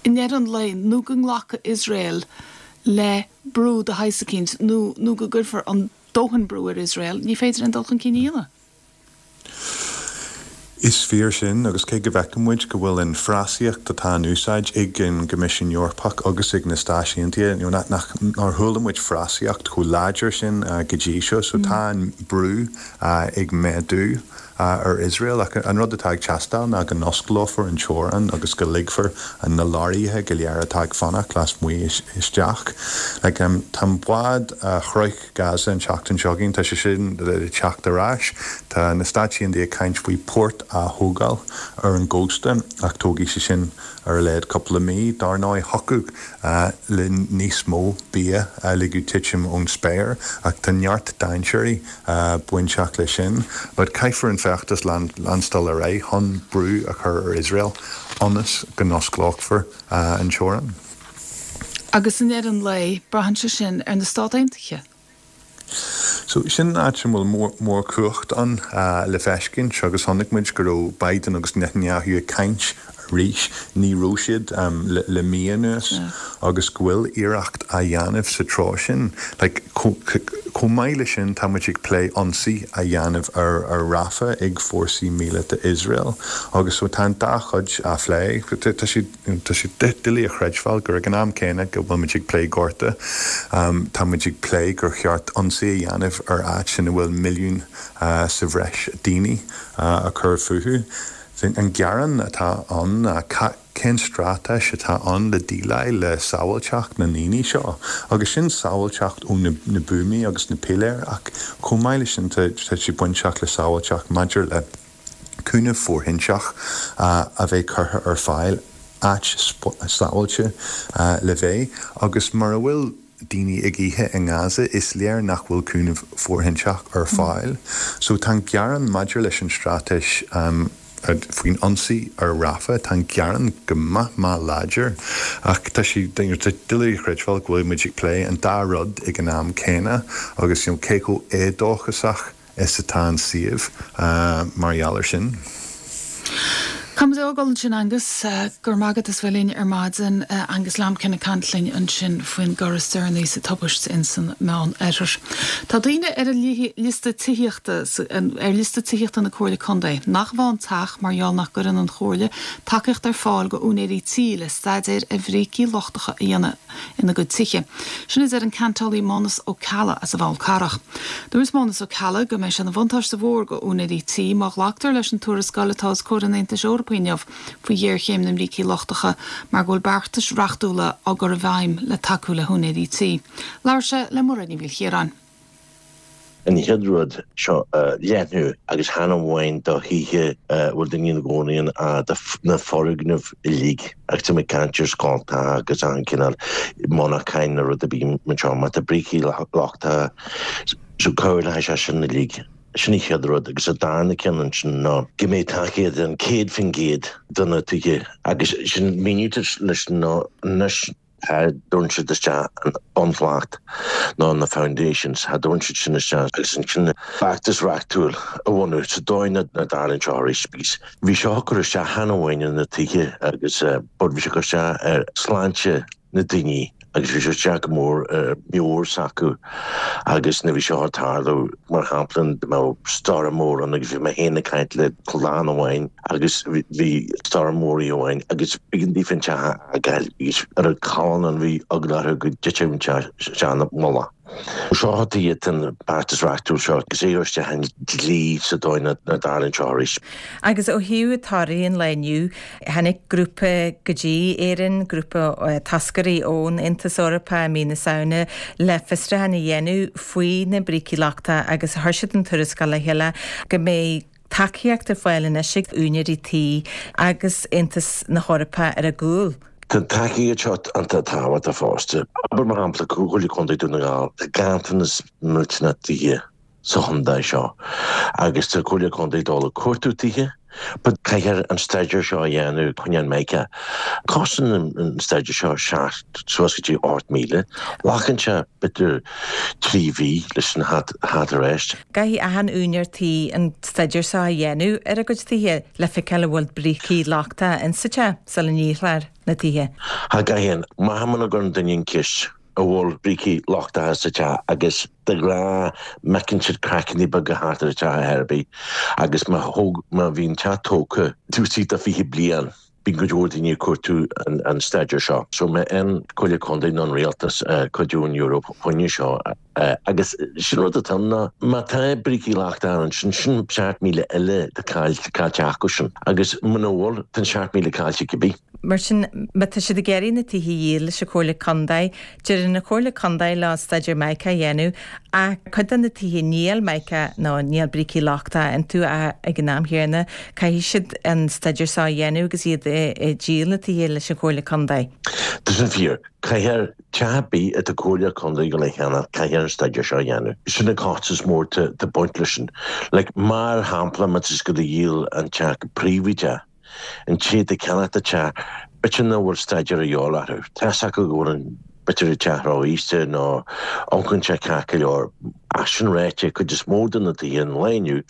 i ndeireadh an lae, nó go nglacfaidh Iosrael le brú de shaghas eicínt, nó nó go gcuirfear an dóthain brú ar Iosrael, ní féidir aon dul chun cinn a dhéanamh. Is fíor sin, agus cé go bhfeiceann muid go bhfuil an frásaíocht atá in úsáid ag an gCoimisiún Eorpach agus ag na Stáit Aontaithe, you know, nach, nár chuala muid frásaíocht chomh láidir sin go dtí seo, so tá an brú ag méadú. ar Iosrael ach an rud atá ag teastáil ná go n-osclófar an teorainn agus go ligfear na leoraithe go léir atá ag fanacht lasmuigh isteach. Like, tá an bád a shroich Gaza an tseachtain seo chugainn, tá sé sin le teacht ar ais. Tá na Stáit Aontaithe ag caint faoi port a thógáil ar an gcósta ach tógfaidh sé sin ar a laghad cúpla mí. Dar ndóigh, thiocfadh le níos mó bia a ligeadh titim ón spéir ach tá neart dainséirí bainteach leis sin. But caithfear an feachtas leanstáil ar aghaidh chun brú a chur ar Iosrael ionas go n-osclófar an teorainn. Agus i ndeireadh an lae, braitheann sé sin ar na Stát Aontaithe. So, sin an áit a bhfuil mórchumhacht ann le feiscint agus chonaic muid go raibh Biden agus Netanyahu ag caint arís, ní raibh siad le mí anuas, agus go bhfuil iarracht á dhéanamh sa treo sin. Like, chomh maith leis sin tá muid ag plé ionsaí a dhéanamh ar Rafah ag fórsaí míleata Iosrael agus so tá an dá chuid á phlé. Tá siad. Tá sé doiligh a chreidbheáil gur ag an am céanna go bhfuil muid ag plé gorta, tá muid ag plé gur cheart ionsaí a dhéanamh ar áit ina bhfuil milliún sa bhreis daoine ag cur fúthu. An gearán atá ann ná cén straitéis atá ann le déileáil le sábháilteacht na ndaoine seo? Agus sin sábháilteacht ó na buamaí agus na piléir ach chomh maith leis sin tá sé bainteach le sábháilteacht maidir le cúnamh fóirthinteach a bheith curtha ar fáil, áit sábháilte le bheith, agus mura bhfuil daoine ag ithe i nGaza, is léir nach bhfuil cúnamh fóirthinteach ar fáil. So tá an gearán maidir leis an straitéis faoin ionsaí ar Rafah, tá an gearán go maith maith láidir, ach tá sé doiligh a chreidbheáil go bhfuil muid ag plé an dá rud ag an am céanna agus you know cé chomh éadóchasach is atá an suíomh mar gheall air sin. Caithfidh muid a fhágáil ansin Angus. Go raibh maith agat as bheith linn ar maidin. Angus Lambkin ag caint linn ansin faoin gcor is deireanaí sa tubaist ins an Meán Oirthear. Tá daoine ar an liosta tithíochta ar liosta tithíochta na Comhairle Contae nach bhfaigheann teach mar gheall nach gcuireann an Chomhairle tacaíocht ar fáil go úinéirí tí le staidéir ar bhrící lochtacha a dhéanamh ina gcuid tithe. Sin a deir an ceantálaí Mánus Ó Ceallaigh as an bhFál Carrach. Dúirt Mánus Ó Ceallaigh go mbeidh sé ina bhuntáiste mhór go úinéirí tí má ghlactar leis an tuarascáil atá os comhair an Aontais Eorpaigh inniu faoi ghéarchéim na mbrící lochtacha mar go bhfuil beartais reachtúla á gcur i bhfeidhm le tacú le húinéirí tí. Labhair sé le Mairéad Ní Mhaoilchiaráin. An chéad rud seo a leathnú agus chan amháin do thithe a bhfuil daoine ina gcónaí ann ach do na foirgnimh uilig agus tá mé ag caint ar scoltacha agus achan cineál monarchain nó rud ar bith mar seo má tá brící lochtacha so cabhair le haghaidh sé sin uilig. Sin an chéad rud agus an darna ceann ansin ná go mbeidh tacaíocht den 100% do na tithe agus sin míniú leis ná anois Cha dtabharann siad isteach an bunshlat ná na foundations, cha dtabharann siad sin isteach agus ansin feachtas reachtúil a bhunú sa dóigh nach dtarlaíonn seo arís because bhí seo ag cur isteach chan amháin ar na tithe agus but bhí sé ag cur isteach ar sláinte na daoine agus bhí sé isteach go mór ar meabhair s'acu agus nuair bhí seo ag tarlú mar shampla dá mbeadh stoirm mór ann agus bhí mé féin ag caint le clann amháin agus bhí stoirm mór oíche amháin agus b'éigean daofa an teach a fhágáil agus ar an callán ann bhí eagla orthu go dtitfeadh an teach isteach ina mullach. Seo iad an beartas reachtúil seo agus é a chur isteach i ndlí sa dóigh nach dtarlaíonn seo arís. Agus ó thaobh torthaí an lae inniu, tháinig grúpa go dtí Éirinn, grúpa toscairí ón Aontas Eorpach i mí na Samhna le fiosrúchán a dhéanamh faoi na brící lochtacha agus chuir siad an tuarascáil le chéile go mbeidh tacaíocht ar fáil anois ag úinéirí tí agus Aontas na hEorpa ar a gcúl. Tá an tacaíocht seo iontach tábhachtach fosta. Abair mar shampla Comhairle Contae Dún na nGall, tá ganntanas millteanach tithe sa chontae seo agus tá Comhairle Contae ag dul ag cuartú tithe but caithfear an staidéar seo a dhéanamh coinne an mica. Cosnaíonn an staidéar seo 7 suas go dtí 8,000. Glacann sé b'fhéidir 3 mhí leis an theacht ar ais. Caithfidh achan úinéir tí an staidéar seo a dhéanamh ar a gcuid tithe le feiceáil an bhfuil brící lochtacha insa teach sula ndíolfar na tithe. Cha gcaithfidh. Maith muna gcuireann duine an ceist an bhfuil brící lochtacha sa teach agus de ghnáth feiceann siad craiceanna beaga thart ar an teach ar bith agus má thóg má bhí an teach tógtha taobh istigh de 20 bliain. Bíonn cuid mhór daoine ag cuartú an staidéar seo. So má fhaigheann Comhairle Contae nó an Rialtas cuidiú ón Eoraip fá choinne seo agus sin rud atá ann ná má tá brící lochtacha ansin, sin 7,000 eile atá caillte acu sin agus muna bhfuil, tá an 7,000 caillte cibé. Mar sin, má tá siad ag iarraidh na tithe a dhíol leis an Chomhairle Contae, deireann an Chomhairle Contae leo staidéar Mica a dhéanamh ach cuid de na tithe níl Mica nó níl brící lochtacha iontu ach ag an am chéanna caithfidh siad an staidéar seo a dhéanamh agus iad ag díol na tithe leis an Chomhairle Contae. Tá sin fíor. Caithfear teach ar bith atá Comhairle Contae ag gabháil a cheannach, caithfear an staidéar seo a dhéanamh. Sin an costas mór tá ag baint leis sin. Like, mar shampla, má tá siad ag gabháil a dhíol an teach go príobháideach, An té atá ag ceannacht an teach, b'fhéidir nach bhfuil staidéar a dhíobháil orthu. Tá's acu go bhfuil an, b'fhéidir an teach ró-aosta nó amharcann sé ceart go leor. Ach sin ráite, cuid is mó de na tithe an lae inniu,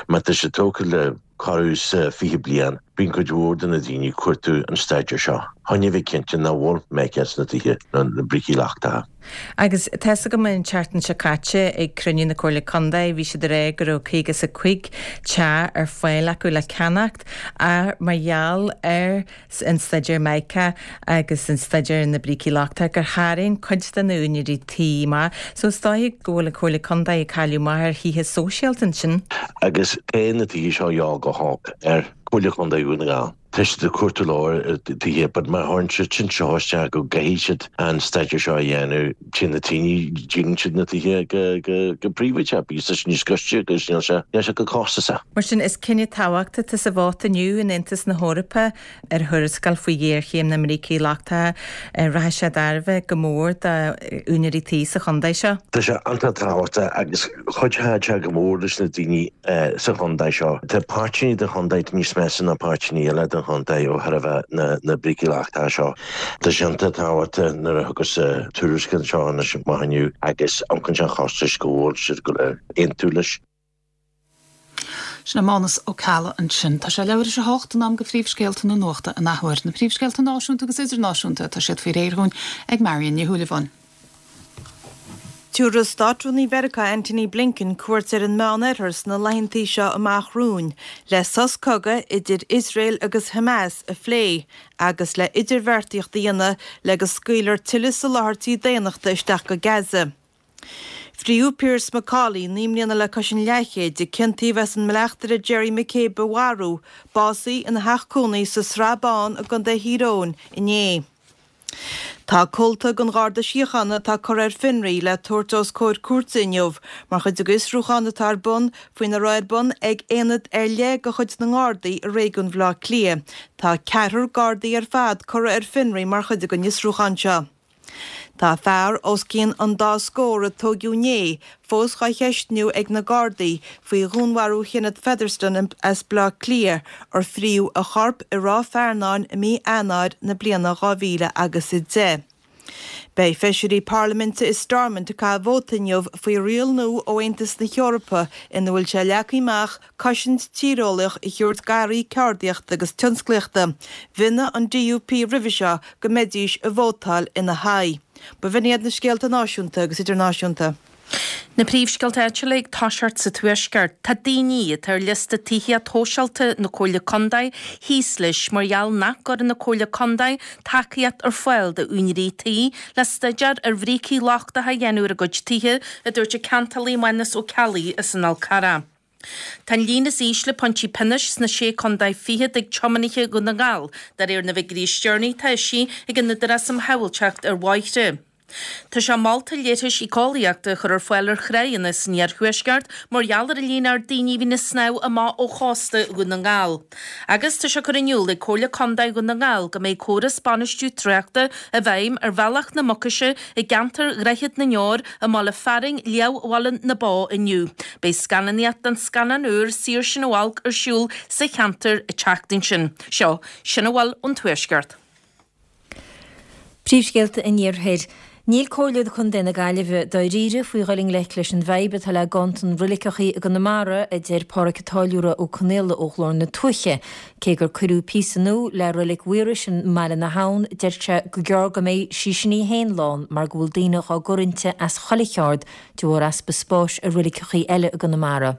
má tá sé tógtha le corradh is 20 bliain, bíonn cuid mhór de na daoine ag cuartú an staidéir seo. Chun a bheith cinnte nach bhfuil mica sna tithe nó na brící lochtacha. Agus tá's agam an tseachtain seo caite ag cruinniú na Comhairle Contae bhí siad ag rá go raibh 55 teach ar fáil acu le ceannacht ach mar gheall ar an staidéar Mica agus an staidéar ar na brící lochtacha gur tharraing cuid de na úinéirí tí amach. So is dóigh go bhfuil an Comhairle Contae ag cailleadh amach ar thithe sóisialta ansin. Agus tá na tithe seo a dhíobháil go holc ar Chomhairle Contae Dhún na nGall. Tá siad ag cuartú leor tithe but má chuireann siad sin seo isteach go gcaithfidh siad an staidéar seo a dhéanamh, téann na daoine, díolann siad na tithe go, go, go príobháideach because tá sé níos gaiste agus níl sé, níl sé chomh costasach. Mar sin, is cinneadh tábhachtach atá sa vóta inniu in Aontas na hEorpa ar thuarascáil faoi ghéarchéim na mbrící lochtacha. Rachaidh sé tairbhe go mór d'úinéirí tí sa chontae seo. Tá sé iontach tábhachtach agus chuideodh sé go mór leis na daoine sa chontae seo. Tá páirteanna den chontae níos measa ná páirteanna eile den chontae ó thairbhe na brící lochtacha seo. Tá sé iontach tábhachtach nuair a thiocfas tuarascáil seo anois amach inniu agus amharcann sé an chostais go bhfuil siad ag gabháil a aontú leis. Sin é Mánus Ó Ceallaigh ansin. Tá sé leathuair théis a hocht, in am do phríomhscéalta na nuachta an athuair. Na príomhscéalta náisiúnta agus idirnáisiúnta, tá siad faoi réir dhúinn ag Marion Ní Shúilleabháin. Tabharfaidh Státrúnaí Mheiriceá Antony Blinken cuairt ar an Meánoirthear sna laethantaí seo amach romhainn le sos cogaidh idir Iosrael agus Hamas a phlé agus le idirbheartaíocht a dhéanamh le go scaoilfear tuilleadh soláthairtí daonnachta isteach go Gaza. Fríodh Pearse McCauley, 9 mbliana le cois an leathchéid, a ciontaíodh as an mbleachtaire Gerry McCabe a mharú, básaithe ina theach cónaí sa Srath Bán i gContae Thír Eoghain inné. Tá comhalta den Gharda Síochána atá curtha ar fionraí le tabhairt os comhair cúirte inniu mar chuid de fhiosrúchán atá ar bun faoina raibh ar bun ag aonad ar leith de chuid na nGardaí i réigiún Bhaile Átha Cliath. Tá ceathrar Gardaí ar fad curtha ar fionraí mar chuid den fhiosrúchán seo. Tá fear os cionn an dá scór a tóigeadh inné fós dhá cheistniú ag na Gardaí faoi dhúnmharú Kenneth Featherstone as Baile Átha Cliath ar fríodh a chorp i Ráth Fearnáin i mí Eanáir na bliana 2000 agus 10. Beidh feisirí parlaiminte i Stormont ag caitheamh vóta inniu faoi riail nua ó Aontas na hEorpa ina bhfuil sé leagtha amach cosaint tíreolaíoch a thabhairt d'earraí ceardaíochta agus tionsclaíochta. Mhionnaigh an DUP roimhe seo go mbeidís ag vótáil ina haghaidh. B'in iad na scéalta náisiúnta agus idirnáisiúnta. Na príomhscéalta áitiúla ag toiseacht sa Tuaisceart. Tá daoine atá ar liosta tithíocht shóisialta na Comhairle Contae thíos leis mar gheall nach gcuireann an Comhairle Contae tacaíocht ar fáil d'úinéirí tí le staidéar ar bhrící lochtacha a dhéanamh ar a gcuid tithe, a dúirt an ceantálaí Mánas Ó Ceallaigh as an Fhál Carrach. Tá an líon is ísle pointí pionóis sna Sé Contae Fichead ag tiománaithe Dhún na nGall, de réir na bhfigiúirí is deireanaí atá eisithe ag an Údarás um Shábháilteacht ar Bhóithre. Tá sé molta leithris éiceolaíochta a chur ar fáil ar thráigheanna san iarthuaisceart mar gheall ar an líon ard daoine a bhíonn ag snámh amach ó chósta Dhún na nGall. Agus tá sé curtha in iúl ag Comhairle Contae Dhún na nGall go mbeidh córas bainistiú tráchta i bhfeidhm ar Bhealach na Mucaise i gceantar Dhroichead na nDeor i mbaile fearainn Liathbhaile na Bó inniu. Beidh scannánaíocht den scannán úr Saor Sinn ó Olc ar siúl sa cheantar an tseachtain sin. Seo, sin a bhfuil ón Tuaisceart. Príomhscéalta an Iarthair. Níl Comhairle Contae na Gaillimhe dáiríre faoi dhul i ngleic leis an bhfadhb atá le ganntan roiliceachaí i gConamara, a deir Pádhraic Ó Táilliúra Ó Conaola ó Ghlór na Tuaithe. Cé gur cuireadh píosa nua le Roilic Mhaorais i mBaile na hAbhann, deir sé gur gearr go mbeidh sí sin í féin lán mar go bhfuil daoine dhá gcur inti as chuile cheard de bharr easpa spáis i roiliceachaí eile i gConamara.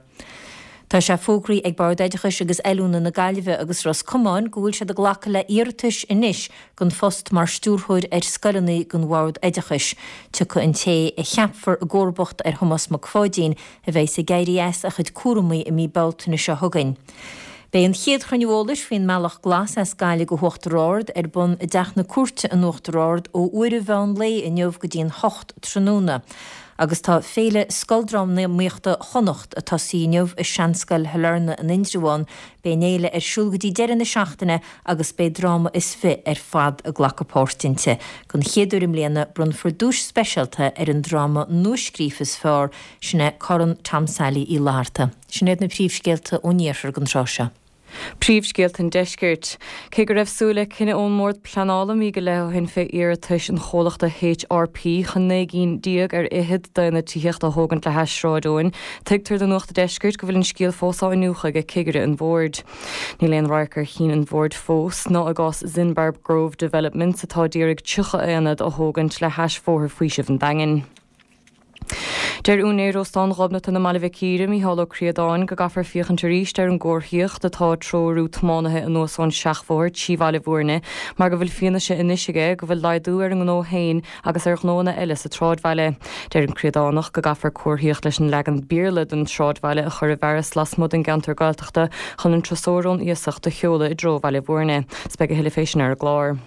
Tá sé fógraithe ag Bord Oideachais agus Oiliúna na Gaillimhe agus Ros Comáin go bhfuil siad ag glacadh le iarratais anois don phost mar stiúrthóir ar scoileanna don Bhord Oideachais. Tiocfaidh an té a cheapfar i gcomharbacht ar Thomás Mac Pháidín, a bheas ag éirí as a chuid cúramaí i mí Bealtaine seo chugainn. Beidh an chéad chruinniú eolais faoin mBealach Glas as Gaillimh go hUachtar Ard ar bun i dTeach na Cúirte in Uachtar Ard ó uair an mheán lae inniu go dtí an hocht tráthnóna. Agus tá Féile Scoildrámaíochta Chonnacht ag tosaí inniu i Seanscoil Shailearna in Indreabhán. Beidh an fhéile ar siúl go dtí deireadh na seachtaine agus beidh dráma is fi ar fad ag glacadh páirt inti. Don chéad uair i mbliana, bronnfar duais speisialta ar an dráma nuascríofa is fearr, sin é Corn Tom Sailí Uí Fhlatharta. Sin iad na príomhscéalta ón iarthar don tráth seo. Príomhscéalta an Deiscirt. Cé go raibh súil le cinneadh ón mBord Pleanála mí go leith ó shin fé iarratais an chomhlachta HRP chun 19 gcinn ar fhichead d'aonaid tithíochta a thógaint le hais Sráid Eoin, tuigtear do Nuacht an Deiscirt go bhfuil an scéal fós á iniúchadh ag cigire an Bhoird. Níl aon radharc ar chinn an Bhoird fós, ná i gcás Zinbarb Grove Developments atá d'iarraidh 30 aonad a thógaint le hais Bhóthar Faoisimh an Daingin. Deir úinéir Óstán Ghobnatan i mBaile Mhic Íre, Mícheál Ó Críodáin, go gcaithfear féachaint arís ar an gcomharthaíocht atá ag treorú tiománaithe anuas ón seachbhóthar trí Bhaile Bhúirne mar go bhfuil fianaise anois aige go bhfuil laghdú ar an ngnó féin agus ar ghnóanna eile sa tsráidbhaile. Deir an Críodánach go gcaithfear comharthaíocht leis an leagan Béarla den tsráidbhaile a chur i bhfearas lasmuigh den gceantar Gaeltachta chun an turasóir ón iasacht a sheoladh i dtreo Bhaile Bhúirne. 'S beidh a thuilleadh fé sin ar an gclár.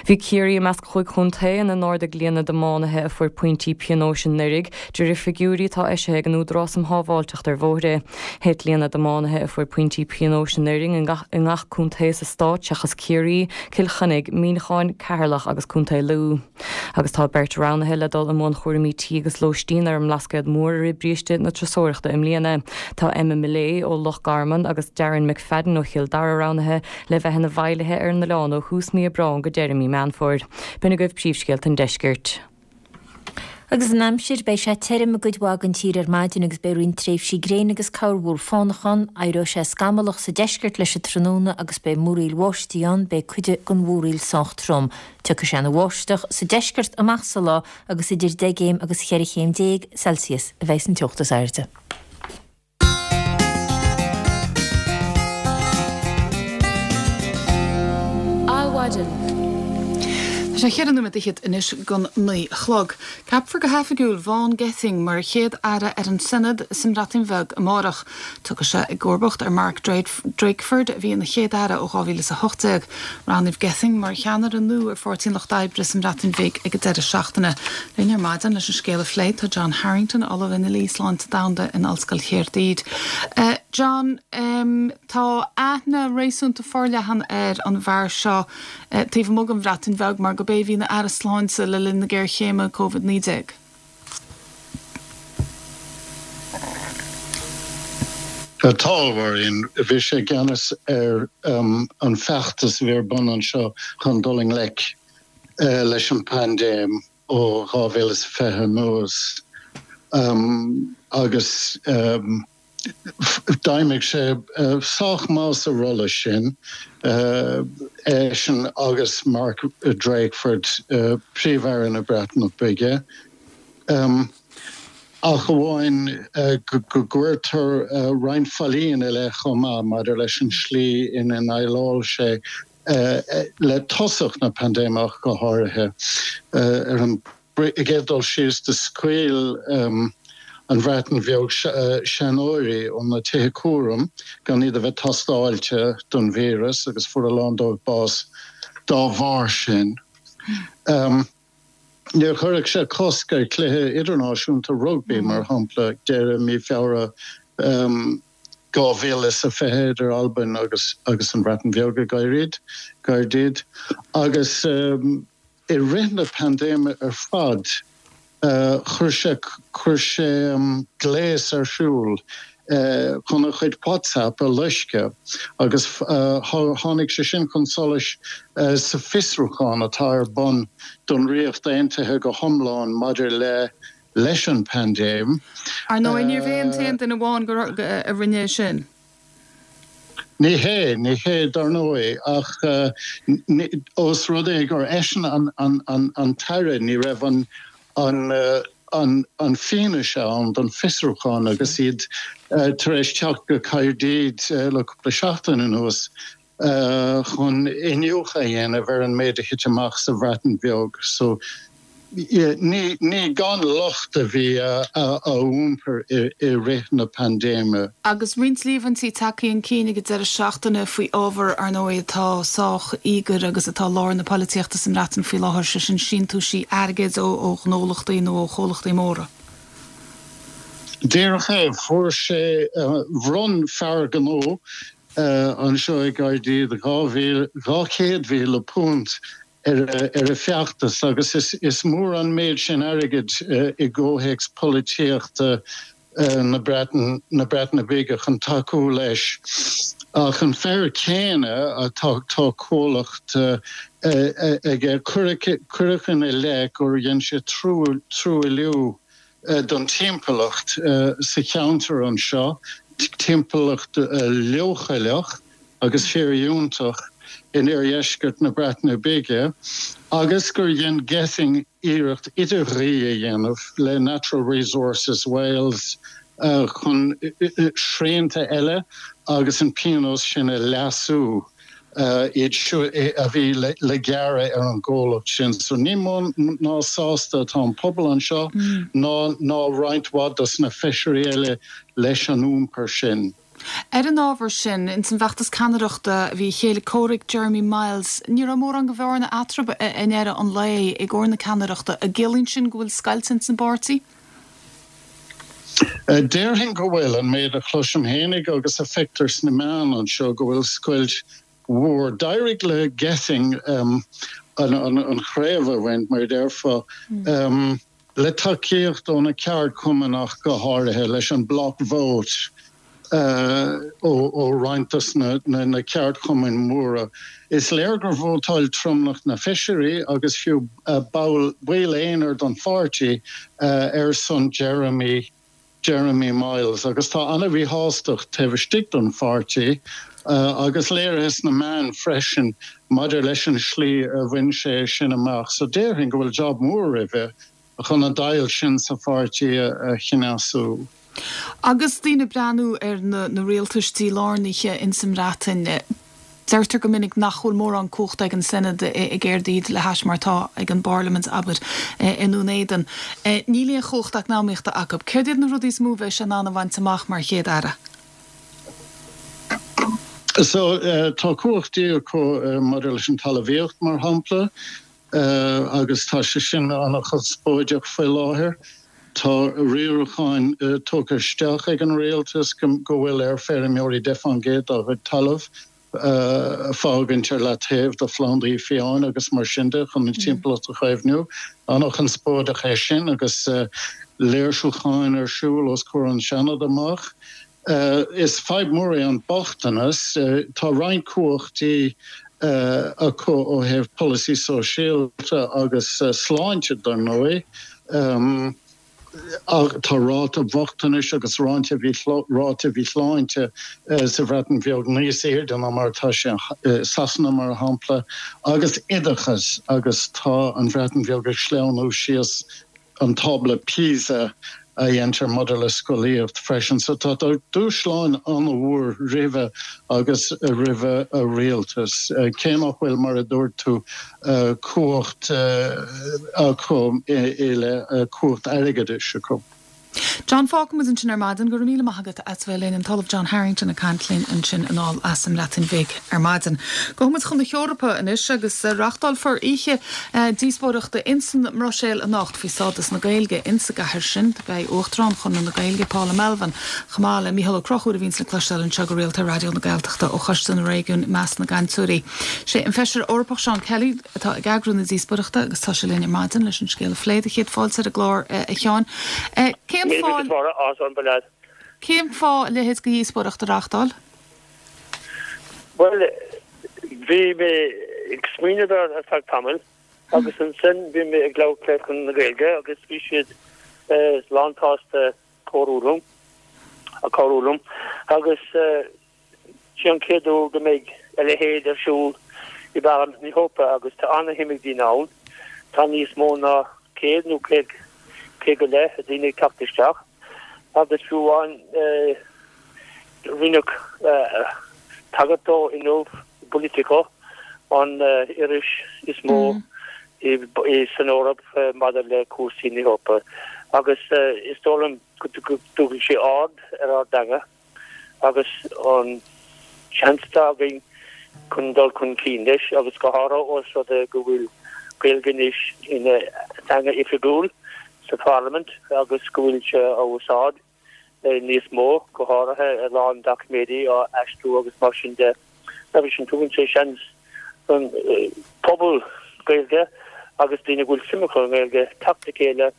Bhí Ciarraí i measc chúig chontae ina n-ardaigh líon na dtiománaithe a fuair pointí pionóis anuraidh, de réir figiúirí atá eisithe ag an Údarás um Shábháilteacht ar Bhóithre. Thit líon na dtiománaithe a fuair pointí pionóis anuraidh i ngach contae sa stát seachas Ciarraí, Cill Chainnigh, Muineachán, Ceatharlach agus Contae Lú. Agus tá beirt roghnaithe le dul i mbun chúraimí tí agus lóistín ar an mBlascaod Mór i rith bríste na turasóireachta i mbliana. Tá Emma Millea ó Loch Garman agus Darren McFadden ó Chill Dara roghnaithe le bheith ina bhfeighlithe ar an oileán ó thús mí Aibreáin go deireadh mí Meán Fómhair. B'in agaibh príomhscéalta an deiscirt. Agus an aimsir, beidh sé tirim i gcuid mhaith den tír ar maidin agus beidh roinnt tréimhsí gréine agus corrmhúr fánach ann. Éireoidh sé scamallach sa deisceart leis an tráthnóna agus beidh múraíl bháistí ann, beidh cuid den mhúraíl sách trom. Tiocfaidh sé ina bháisteach sa deisceart amach sa lá agus idir 10 gcéim agus 14 chéim Celsius a bheidh san teocht is airde. Adhmhaidin. Tá sé cheithre nóiméad fhichead anois gon naoi a chlog. Ceapfar go hoifigiúil Vaughan Gething mar chéad aire ar an Senedd sa mBreatain Bheag amárach. Tiocfaidh sé i gcomharbacht ar Mark Drakeford a bhí ina chéad aire ó 2018. Roghnaíodh Gething mar cheannaire nua ar Pháirtí an Lucht Oibre sa mBreatain Bhig ag an deireadh seachtaine. Linn ar maidin leis an scéal a phlé tá John Harrington, Ollamh i nDlí Sláinte Domhanda in Ollscoil Chaerdydd. John, tá aithne réasúnta forleathan ar an bhfear seo taobh amuigh den Bhreatain Bheag mar gurb é a bhí ina Aire Sláinte le linn na géarchéime Covid-19. Tá, a Mháirín. Bhí sé i gceannas ar an feachtas a bhí ar bun anseo chun dul i ngleic leis an bpaindéim ó 2020 anuas agus D'fheidhmigh sé sách maith sa rolla sin, eisean agus Mark Drakeford, Príomh-Aire na Breataine Bige, ach amháin go gcuirtear roinnt faillí ina leith chomh maith maidir leis an slí ina ndéileáil sé le tosach na paindéime ach go háirithe. Ar an gcéad dul síos, do scaoil an Bhreatain Bheag seanóirí ó na tithe cúraim gan iad a bheith tástáilte don víreas agus fuair a lán dóibh bás dá bharr sin. Níor chuir sé cosc ar chluiche idirnáisiúnta rugbaí, mar shampla, ag deireadh mí Feabhra 2020 idir Albain agus an Bhreatain Bheag i gCaerdydd agus I rith na paindéime ar fad, chuir sé chuir sé gléas ar siúl chun a chuid WhatsApp a loisceadh agus tháinig sé sin chun solais sa fiosrúchán atá ar bun don Ríocht Aontaithe go hiomlán maidir le leis an bpaindéim. Ar ndóigh, níorbh é an t-aon duine amháin a rinne é sin. Ní hé, ní hé, dar ndóigh, ach ós rud é gur eisean an tAire, ní raibh an. an fianaise ann don fiosrúchán agus iad tar éis teacht go Caerdydd le cúpla seachtain anuas chun iniúchadh a dhéanamh ar an méid a thit amach sa Bhreatain Bheag. So ní gan locht a bhí a iompar i rith na paindéime. Agus roinnt líomhaintí tagtha chun cinn ag an deireadh seachtaine faoi ábhar, ar ndóigh, atá sách íogair agus atá i lár na polaitíochta sa mBreatain faoi láthair, sé sin síntiúisí airgid ó ghnólachtaí nó ó chomhlachtaí móra. Díreach é. Fuair sé, bhronn fear gnó anseo i gCaerdydd £200,000 ar a feachtas agus is mór an méid sin airgid i gcomhthéacs polaitíochta na Breataine Bige chun tacú leis. Ach an fear céanna, tá comhlacht aige, cuireadh ina leith gur dhein sé truailliú don timpeallacht sa cheantar anseo, timpeallacht leochaileach agus fíordhiúltach in oirdheisceart na Breataine Bige, agus gur dhein Gething iarracht idirghuí a dhéanamh le Natural Resources Wales chun srianta eile agus an pionós sin a leasú. iad seo a bhí le gearradh ar an gcomhlacht sin. So ní mó ná sásta atá an pobal anseo ná ná roinnt mhaith dos na feisirí eile leis an iompar sin. Ar an ábhar sin, ins an bhfeachtas ceannaireachta bhí a chéile comhraic Jeremy Miles, ní raibh mórán de bhearna eatarthu i ndeireadh an lae i gcomhair na ceannaireachta. An gciallaíonn sin go bhfuil scoilt ins an bpáirtí? Déarfainn go bhfuil, an méid a chloisim fhéinig agus a feictear sna meáin anseo, go bhfuil scoilt mhór. D'éirigh le Gething an chraobh a bhaint, mar a déarfá, le tacaíocht ó na ceardchumainn ach go háirithe, leis an block vote. ó roinnt dos na ceardchumainn mhóra. Is léir gur vótáil tromlach na feisirí agus fiú baill aonair don pháirtí ar son Jeremy Jeremy Miles agus tá an-mhíshástacht taobh istigh don pháirtí agus léirithe sna meáin freisin maidir leis an slí a bhain sé sin amach. So déarfainn go bhfuil job mór roimhe chun an deighilt sin sa pháirtí a chneasú. Agus daoine ag breathnú ar na rialtais dílárnaithe ins an mBreatain, deirtear go minic nach bhfuil mórán cumhachta ag an Senedd i gCaerdydd le hais mar atá ag an bParlaimint, abair, i nDún Éideann. Níl aon chumhacht eacnamaíochta acu. Céard iad na rudaí is mó a bheidh sé in ann a bhaint amach mar Chéad-Aire? So, tá cumhachtaí acu maidir leis an talmhaíocht, mar shampla. agus tá sé sin an-chonspóideach faoi láthair. Tá riaracháin tugtha isteach ag an rialtas go bhfuil ar feirmeoirí 10% dá gcuid talaimh a fhágaint ar leataobh do phlandaí fiáin agus mar sin de chun an timpeallacht a chaomhnú. An-chonspóideach é sin agus léirsiúcháin ar siúl os comhair an Seanad amach. Is fadhb mhór é an bochtanas. Tá roinnt cumhachtaí acu ó thaobh polasaí sóisialta agus sláinte, dar ndóigh. Ach tá ráta bochtanais agus ráta mhíshláinte sa Bhreatain Bheag níos airde ná mar atá sé i Sasana, mar shampla. Agus oideachas, agus tá an Bhreatain Bheag ag sleamhnú síos an tábla PISA a dhéantar maidir le scolaíocht freisin. So tá dúshláin an-mhór roimhe agus roimh a rialtas, cé nach bhfuil, mar a dúirt tú, cumhacht acu i leith cumhacht airgeadais acu. John, Fágfaimid ansin ar maidin. Go raibh míle maith agat as bheith linn. An tOllamh John Harrington ag caint linn ansin anall as an mBreatain Bhig ar maidin. Gabhfaidh muid chun na hEorpa anois agus reachtálfar oíche díospóireachta insan mBruiséil anocht faoi stádas na Gaeilge insa gcathair sin. Beidh Uachtarán Chonradh na Gaeilge, Paula Melvin, chomh maith le Mícheál Ó Conchúir a bhíonns le cloisteáil anseo go rialta ar Raidió na Gaeltachta ó Choiste na Réigiún i measc na gcainteoirí. Sé an Feisire Eorpach Seán Kelly atá ag eagrú na díospóireachta agus tá sé linn ar maidin leis an scéal a phlé. Do chéad fáilte ar an gclár a Sheáin. Cén fáth Cén fáth a leithéid de dhíospóireacht a reachtáil? Bhuel, bhí mé ag smaoineamh air ar feadh tamaill agus ansin bhí mé ag labhairt le Conradh na Gaeilge agus bhí siad lán-tsásta cabhrú liom, cabhrú liom agus sé an chéad uair go mbeidh a leithéid ar siúl i bParlaimint na hEorpa agus tá ana-shuim ag daoine ann. Tá níos mó ná 100 nó 100. 100 go leith daoine ag teacht isteach agus fiú amháin rinneadh tagairt dó inniu i Politico, an iris is mó san Eoraip maidir le cúrsaí na hEorpa agus is dóigh liom go dtabharfaidh sé aird ar ár dteanga. agus an seans atá againn chun dul chun cinn leis, agus go háirithe ós rud é go bhfuil Gaeilge anois ina teanga oifigiúil sa Pharlaimint agus go bhfuil sé á úsáid níos mó, go háirithe a lán doiciméidí á aistriú agus mar sin de. Agus sin, tugann sé seans don phobal Gaeilge agus daoine a bhfuil suim acu i nGaeilge teacht le chéile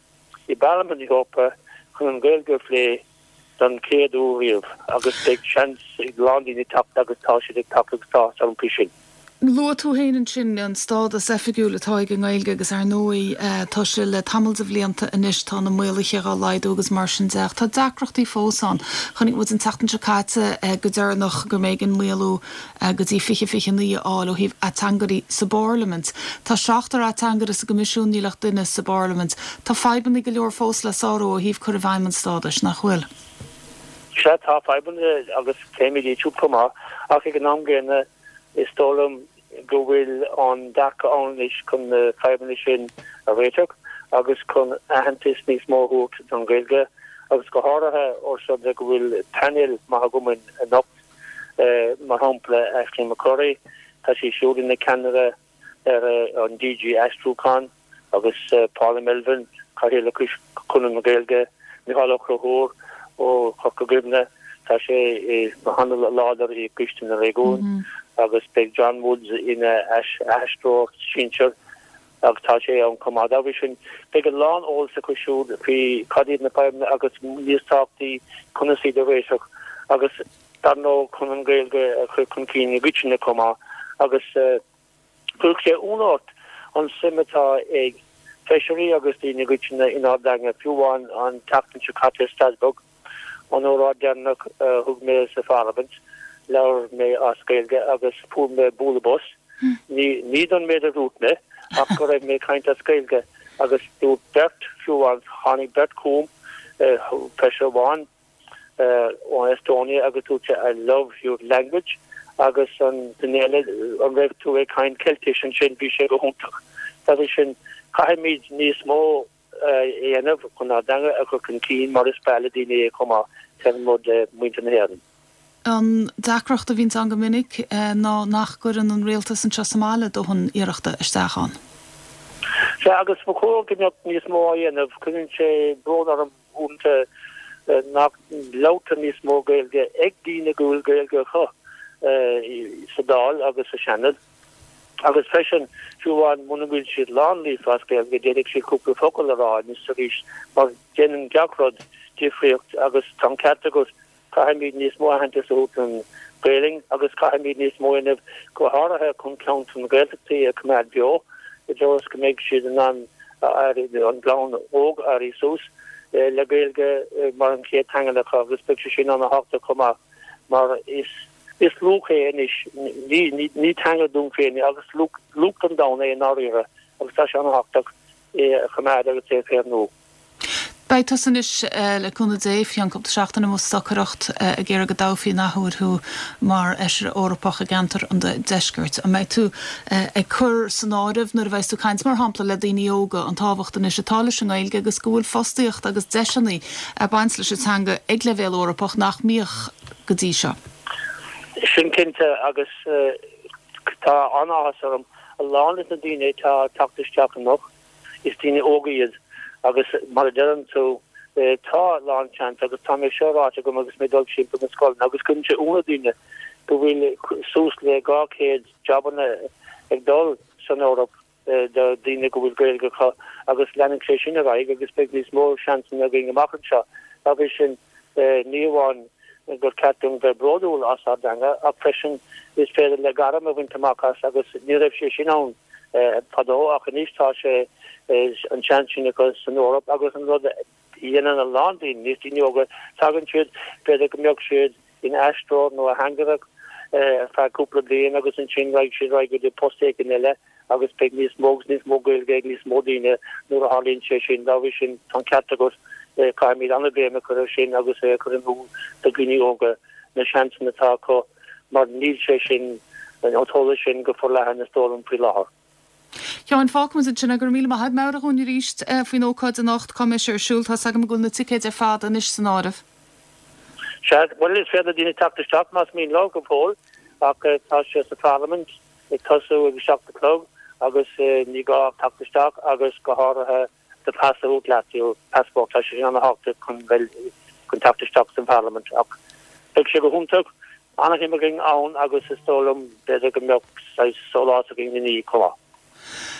i bParlaimint na hEorpa chun an Ghaeilge a phlé don chéad uair riamh agus beidh seans ag a lán daoine teacht agus tá siad ag teacht agus tá áthas orm faoi sin. Luaigh tú féin ansin an stádas oifigiúil atá ag an nGaeilge agus ar ndóigh tá sé le tamall de bhlianta anois, tá na maoluithe dhá laghdú agus mar sin de ach tá deacrachtaí fós ann. Chonaic muid an tseachtain seo caite go deireanach go mb'éigean maolú go dtí 2029 a fháil ó thaobh ateangairí sa bParlaimint. Tá seachtar ateangaire sa gCoimisiún, níl ach duine sa bParlaimint. Tá fadhbanna go leor fós le sárú ó thaobh cur i bhfeidhm an stádais, nach bhfuil? Sea, tá fadhbanna agus pléimid iad siúd chomh maith, ach ag an am gcéanna is dóigh liom go bhfuil an dearcadh ann anois chun na fadhbanna sin a réiteach agus chun aitheantas níos mó a thabhairt don Ghaeilge agus go háirithe ós rud é go bhfuil painéal maith agam anocht. Mar shampla, Aisling McCurry, tá sí siúd ina ceannaire ar an DG Aistriúchán, agus Paula Melvin, Cathaoirleach Chonradh na Gaeilge, Micheál Ó Conchúir ó Chorca Dhuibhne, tá sé go han-láidir i gCoiste na Réigiún, agus beidh John Woods ina aistritheoir sinsir. Agus tá sé ann chomh maith. Dá bhrí sin, beidh a lán eolas acu siúd faoi cad iad na fadhbanna agus, níos tábhachtaí, conas iad a réiteach agus, dar ndóigh, chun an Ghaeilge a chur chun cinn i gcoitinne chomh maith. Agus chuirfeadh sé ionadh ort an suim atá ag feisirí agus daoine i gcoitinne inár dteanga, fiú amháin an tseachtain seo caite i Strasbourg. An óráid deireanach a thug mé sa Pharlaimint, labhair mé as Gaeilge agus fuair mé bualadh bos, ní don méid a dúirt mé, ach go raibh mé ag caint as Gaeilge agus dúirt beirt, fiú amháin, tháinig beirt chugam, feisire amháin ó Estonia agus dúirt sé I love your language agus an duine eile, an raibh tú ag caint Ceiltis ansin, bhí sé go hiontach. Dá bhrí sin, caithfimid níos mó. a dhéanamh chun ár dteanga a chur chun cinn mar is breá le daoine é chomh maith, taobh amuigh de mhuintir na hÉireann. An deacracht a bhíonns ann go minic ná nach gcuireann an rialtas anseo sa mbaile dóthain iarrachta isteach ann. Sea, agus ba chóir go mbeadh níos mó á dhéanamh. Cuireann sé brón orm uaireanta nach labhartar níos mó Gaeilge ag daoine go bhfuil Gaeilge acu sa Dáil agus sa Seanad. Agus freisin, fiú amháin muna bhfuil siad lán-líofa as Gaeilge, d'fhéadfadh siad cúpla focal a rá anois is arís, mar déanann gach rud difríocht agus tá an ceart agat, caithfimid níos mó aitheantas a thabhairt don Ghaelainn agus caithfimid níos mó a dhéanamh, go háirithe chun ceantar na Gaeltachtaí a choimeád beo, i dtreo is go mbeidh siad in ann an ghlúin óg éirí suas le Gaeilge mar an chéad teanga acu agus beidh sé sin an-thábhachtach chomh maith mar is Is luach é anois, ní teanga dúinn féin é agus luach don domhan é i ndáiríre agus tá sé an-thábhachtach é a choimeád agus é a chaomhnú. Beidh tusa anois, le cúnamh Dé, faoi cheann cúpla seachtain amuigh ag stocaireacht ag iarraidh go dtoghfaí an athuair thú mar Fheisire Eorpach i gceantar an Deiscirt. An mbeidh tú ag cur san áireamh nuair a bheas tú ag caint, mar shampla, le daoine óga, an tábhacht anois atá leis an nGaeilge agus go bhfuil fostaíocht agus deiseanna ag baint leis an teanga ag leibhéal Eorpach nach mbíodh go dtí seo. Sin cinnte agus tá an-áthas orm. A lán de na daoine atá ag teacht isteach anocht, is daoine óga iad agus mar a deireann tú, tá a lán seans agus tá mé seo ráite agam agus mé ag dul timpeall na scoileanna agus cuireann sé ionadh ar dhaoine go bhfuil suas le 200 jabanna ag dul san Eoraip do daoine go bhfuil Gaeilge acu agus leanfaidh sé sin ar aghaidh agus beidh níos mó seansanna againn amach anseo. Dá bhrí sin, ní amháin gur ceart dúinn bheith bródúil as ár dteanga ach freisin is féidir le gairm a bhaint amach as agus ní raibh sé sin ann fadó ach anois tá sé an seans sin acu san Eoraip agus an rud a dhéanann a lán daoine, níos daoine óga, tagann siad, b'fhéidir go mbeadh siad ina aistritheoir nó ateangaire ar feadh cúpla bliain agus ansin raghaidh siad ar aghaidh go dtí post éigin eile. Agus beidh níos mó agus níos mó Gaeilge ag níos mó daoine nuair a tharlaíonn sé sin. Dá bhrí sin, tá an ceart agat, caithfimid an-bhéim a chur air sin agus é a chur in iúl do dhaoine óga na seansanna atá acu mar níl sé sin, an t-eolas sin go forleathan is dóigh liom faoi láthair. Sheáin, fágfaimid ansin é. Go raibh míle maith agat. Meabhraigh dhúinn arís faoin ócáid anocht, cá mbeidh sé ar siúl. Tá's agam go bhfuil na ticéid ar fad anois san áireamh. Sea, bhuel is féidir le daoine teacht isteach más mian leo go fóill ach tá sé sa Pharlaimint ag tosú ag 7 a chlog agus ní gá ach teacht isteach agus go háirithe do phas a thabhairt leat, your passport, tá sé sin ana-thábhachtach chun bheith, chun teacht isteach san Pharlaimint ach beidh sé go hiontach, ana-shuim againn ann agus is dóigh liom b'fhéidir go mbeadh saghas sólás againn ina dhiaidh chomh maith.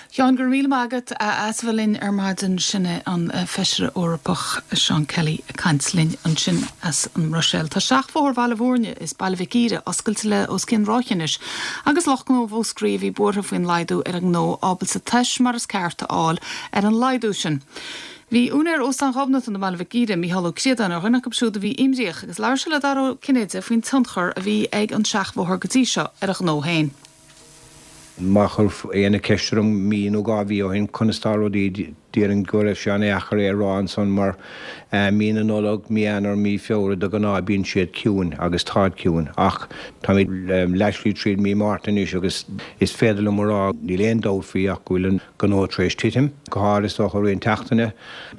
Sheáin, go raibh míle maith agat as a bheith linn ar maidin. Sin é an Feisire Eorpach Seán Kelly ag caint linn ansin as an mBruiséil. Tá seachbhóthar Bhaile Bhúirne is Baile Mhic Íre oscailte le os cionn ráithe anois agus lucht gnó Mhúscraí a bhí buartha faoin laghdú ar an ngnó ábalta tomhas mar is ceart a fháil ar an laghdú sin. Bhí úinéir Óstán Ghobnatan i mBaile Mhic Íre, Mícheál Ó Críodáin, ar dhuine acu siúd a bhí imríoch agus labhair sé le Dara Ó Cinnéide faoin tionchar a bhí ag an seachbhóthar go dtí seo ar a ghnó féin. Má chuir éinne ceist orm mí nó 2 mhí ó shin conas tá rudaí, déarfainn go raibh sé an-dheacair é a rá ansan mar mí na Nollag, mí Eanáir, mí Feabhra de ghnáth bíonn siad ciúin agus táid ciúin ach táimid leathshlí tríd mí Márta anois agus is féidir liom a rá níl aon dabht faoi ach go bhfuil an gnó tar éis titim, go háirithe is dócha i rith an tseachtaine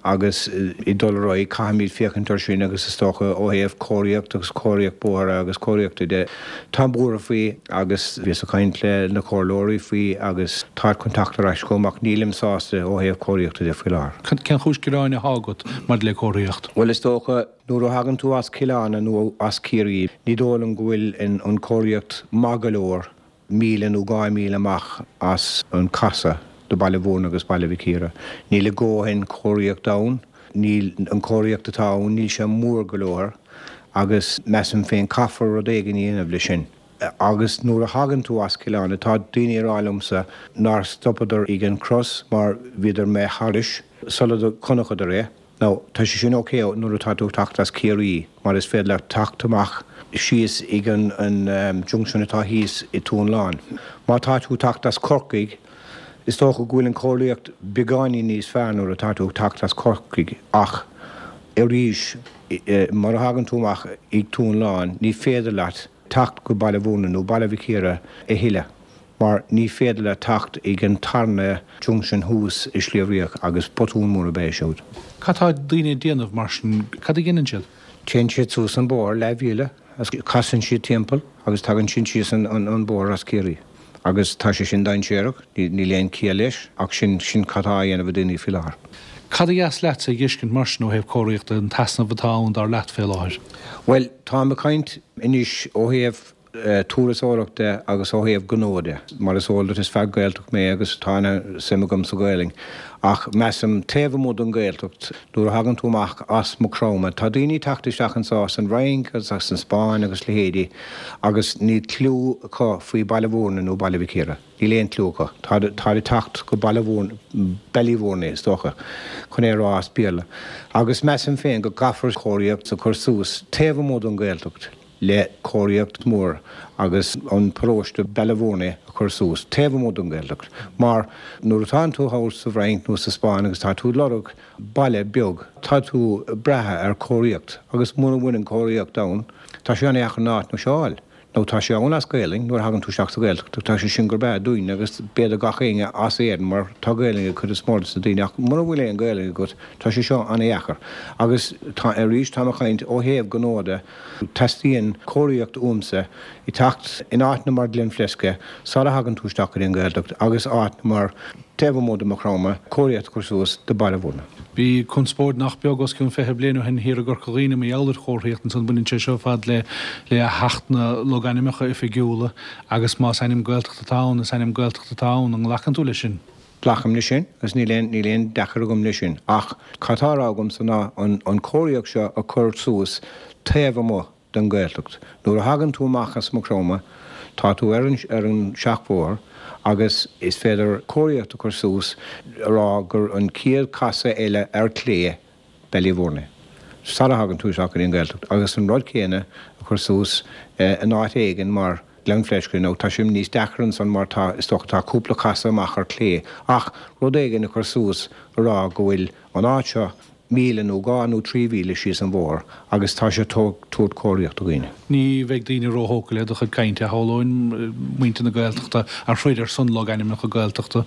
agus ag dul ar aghaidh caithfimid féachaint ar sin agus is dócha ó thaobh cóiríocht agus cóiríocht bóithre agus cóiríochta de, táim buartha faoi agus bhíos ag caint le na comhairleoirí faoi agus táid chun teacht ar ais chugam ach nílim sásta ó thaobh cóiríochta de faoi láthair. Cén chúis gearáin atá agat maidir le comharthaíocht? Bhuel is dócha nuair a thagann tú as Cill Anna nó as Ciarraí ní dóigh liom go bhfuil an chomharthaíocht maith go leor míle nó 2 mhíle amach as an casadh do Baile Bhúirne agus Baile Mhic Íre. Níl a dhóthain comharthaíocht ann, níl an chomharthaíocht atá ann, níl sé mór go leor agus measaim féin caithfear rud éigin a dhéanamh le sin. Agus nuair a thagann tú as Cill Anna, tá daoine ag rá liomsa nár stopadar ag an cros mar bhíodar imithe thairis sula gconacadar é. Now, tá sé sin ok nuair atá tú ag teacht as Ciarraí mar is féidir leat teacht amach síos ag an junction atá thíos i Tóin Lán. Má tá tú ag teacht as Corcaigh, is dócha go bhfuil an chomharthaíocht beagáinín níos fearr nuair atá tú ag teacht as Corcaigh ach arís, mar a thagann tú amach ag Tóin Lán, ní féidir leat teacht go Baile Bhúirne nó Baile Mhic Íre a thuilleadh mar ní féidir leat teacht ag an tarna junction thuas i Sliabh Riach agus botún mór ab ea é siúd. Cad tá daoine ag déanamh mar sin? Cad a dhéanann siad? Téann siad suas an bóthar leathmhíle agus casann siad timpeall agus tagann siad síos an bóthar as Ciarraí. Agus tá sé sin dainséarach, níl aon chiall leis ach sin, sin cad tá á dhéanamh ag daoine faoi láthair. Cad a dheas leatsa a dh'fheiscint mar sin ó thaobh comharthaíochta, an t-easnamh atá ann dar leat fé láthair? Bhuel, táim ag caint anois ó thaobh turasóireacht de agus ó thaobh gnó de. Mar is eol duit is fear Gaeltacht mé agus tá ana-suim agam sa Ghaelainn. Ach measaim taobh amuigh den Ghaeltacht, nuair a thagann tú amach as Maigh Chromtha, tá daoine ag teacht isteach anso as an Fhrainc agus as an Spáinn agus leithéidí agus níl cliú acu faoi Baile Bhúirne nó Baile Mhic Íre. Níl aon cliú acu. Táid ag teacht go Baile Bhúirne, Ballyvourney is dócha, chun é a rá as Béarla. Agus measaim féin go gcaithfear comharthaíocht a chur suas taobh amuigh den Ghaeltacht le comharthaíocht mhór agus an paróiste Ballyvourney a chur suas taobh amuigh den Ghaeltacht mar nuair atánn tú thall sa bhFrainc nó sa Spáinn agus tá tú ag lorg baile beag tá tú ag brath ar chomharthaíocht agus mura bhfuil an chomharthaíocht ann tá sé an-dheacair an áit seo a fháil. Nó tá sé ann as Gaelainn nuair a thagann tú isteach sa Ghaeltacht tá sé sin go breá dúinn agus b'fhéidir gach éinne as Éirinn mar tá Gaelainn ag cuid is mó de na daoine ach mura bhfuil aon Ghaelainn agat tá sé seo an-dheacair. Agus tá, arís táim ag caint ó thaobh gnó de, teastaíonn comharthaíocht uaimse ag teacht in áiteanna mar Glenflesk sara thagann tú isteach go dtí an Ghaeltacht agus áiteanna mar taobh amuigh de Maigh Chromtha, comharthaíocht a chur suas do Baile Bhúirne. Bhí conspóid nach beag os cionn 20 bliain ó shin thiar i gCorca Dhuibhne mar gheall ar chomharthaíocht ansan. Baineann sé seo ar fad le le hAcht na Logainmneacha Oifigiúla agus más ainm Gaeltachta atá ann, is ainm Gaeltachta atá ann. An nglacann tú leis sin? Glacaim leis sin agus níl aon níl aon deacair agam leis sin. Ach cad tá á rá agamsa ná an an chomharthaíocht seo a chur suas taobh amuigh den Ghaeltacht. Nuair a thagann tú amach as Maigh Chromtha, tá tú ar an ar an seachbhóthar agus is féidir comharthaíocht a chur suas a rá gur an chéad chasadh eile ar chlé Ballyvourney sara thagann tú isteach go dtí an Ghaeltacht agus an rud céanna a chur suas in áit éigin mar. Gleann Fleisce, now tá sé níos deacra ansan mar tá, is dócha, tá cúpla casadh amach ar clé ach rud éigin a chur suas a rá go bhfuil an áit seo míle nó 2 nó 3 mhíle síos an bhóthar agus tá sé tabhairt cóiríocht do dhaoine. Ní bheidh daoine róthógtha le do chuid cainte, a shamhlóinn, muintir na Gaeltachta a throid ar son logainmneacha Gaeltachta.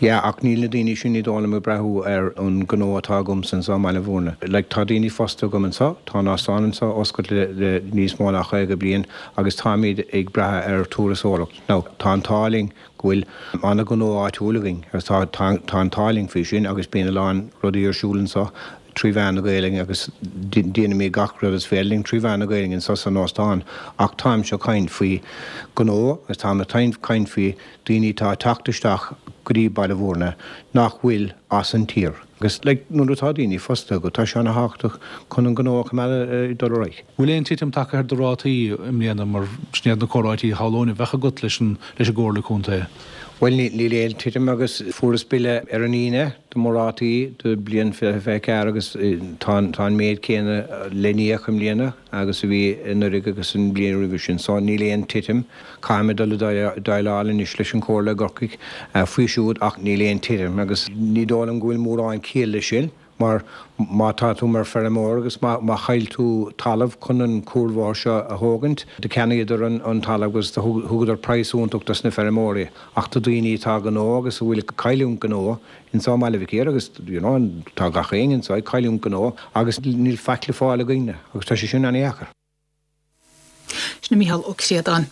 Yeah, ach níl na daoine sin, ní dóigh liom, ag breathú ar an gnó atá agamsa anseo i mBaile Bhúirne. Like, tá daoine fostaithe agam anseo, tá an óstán anseo oscailte le níos mó ná 50 bliain agus táimid ag brath ar turasóireacht. Now, tá an t-ádh linn go bhfuil an-ghnó áitiúil againn agus tá, tá, tá an t-ádh linn faoi sin agus bíonn a lán rudaí ar siúl anseo trí mheán na Gaelainne agus déanaimid gach rud is féidir linn trí mheán na Gaelainne anseo san óstán ach táimse ag caint faoi ghnó agus táim ag caint faoi daoine atá ag teacht isteach go dtí Baile Bhúirne nach bhfuil as an tír agus like nuair atá daoine fostaithe agat tá sé ana-thábhachtach chun an gnó a choimeád ag dul ar aghaidh. Bhfuil aon titim tagtha ar do rátaí i mbliana mar sin iad na comhráití a shamhlóinn a bheadh agat leis an leis an gComhairle Contae? Bhuel níl aon titim agus fuaireas bille ar an Aoine do mo rátaí do bliain 2024 agus tá tá an méid céanna le n-íoc i mbliana agus a bhí anuraidh agus an bhliain roimhe sin so níl aon titim. Caithfidh mé dul ag déileáil anois leis an Chomhairle i gCorcaigh faoi siúd ach níl aon titim agus ní dóigh liom go bhfuil mórán ciall leis sin mar má tá tú mar feirmeoir agus má chaill tú talamh chun an cuarbhóthar seo a thógaint, do cheannaíodar an talamh agus do thugadar praghas iontach dos na feirmeoirí ach do daoine atá gnó agus a bhfuil ag cailliúint gnó insa mBaile Mhic Íre agus you know tá gach éinne anso ag cailliúint gnó agus níl faic le fáil againne agus tá sé sin ana-dheacair. Sin é Mícheál Ó Críodáin.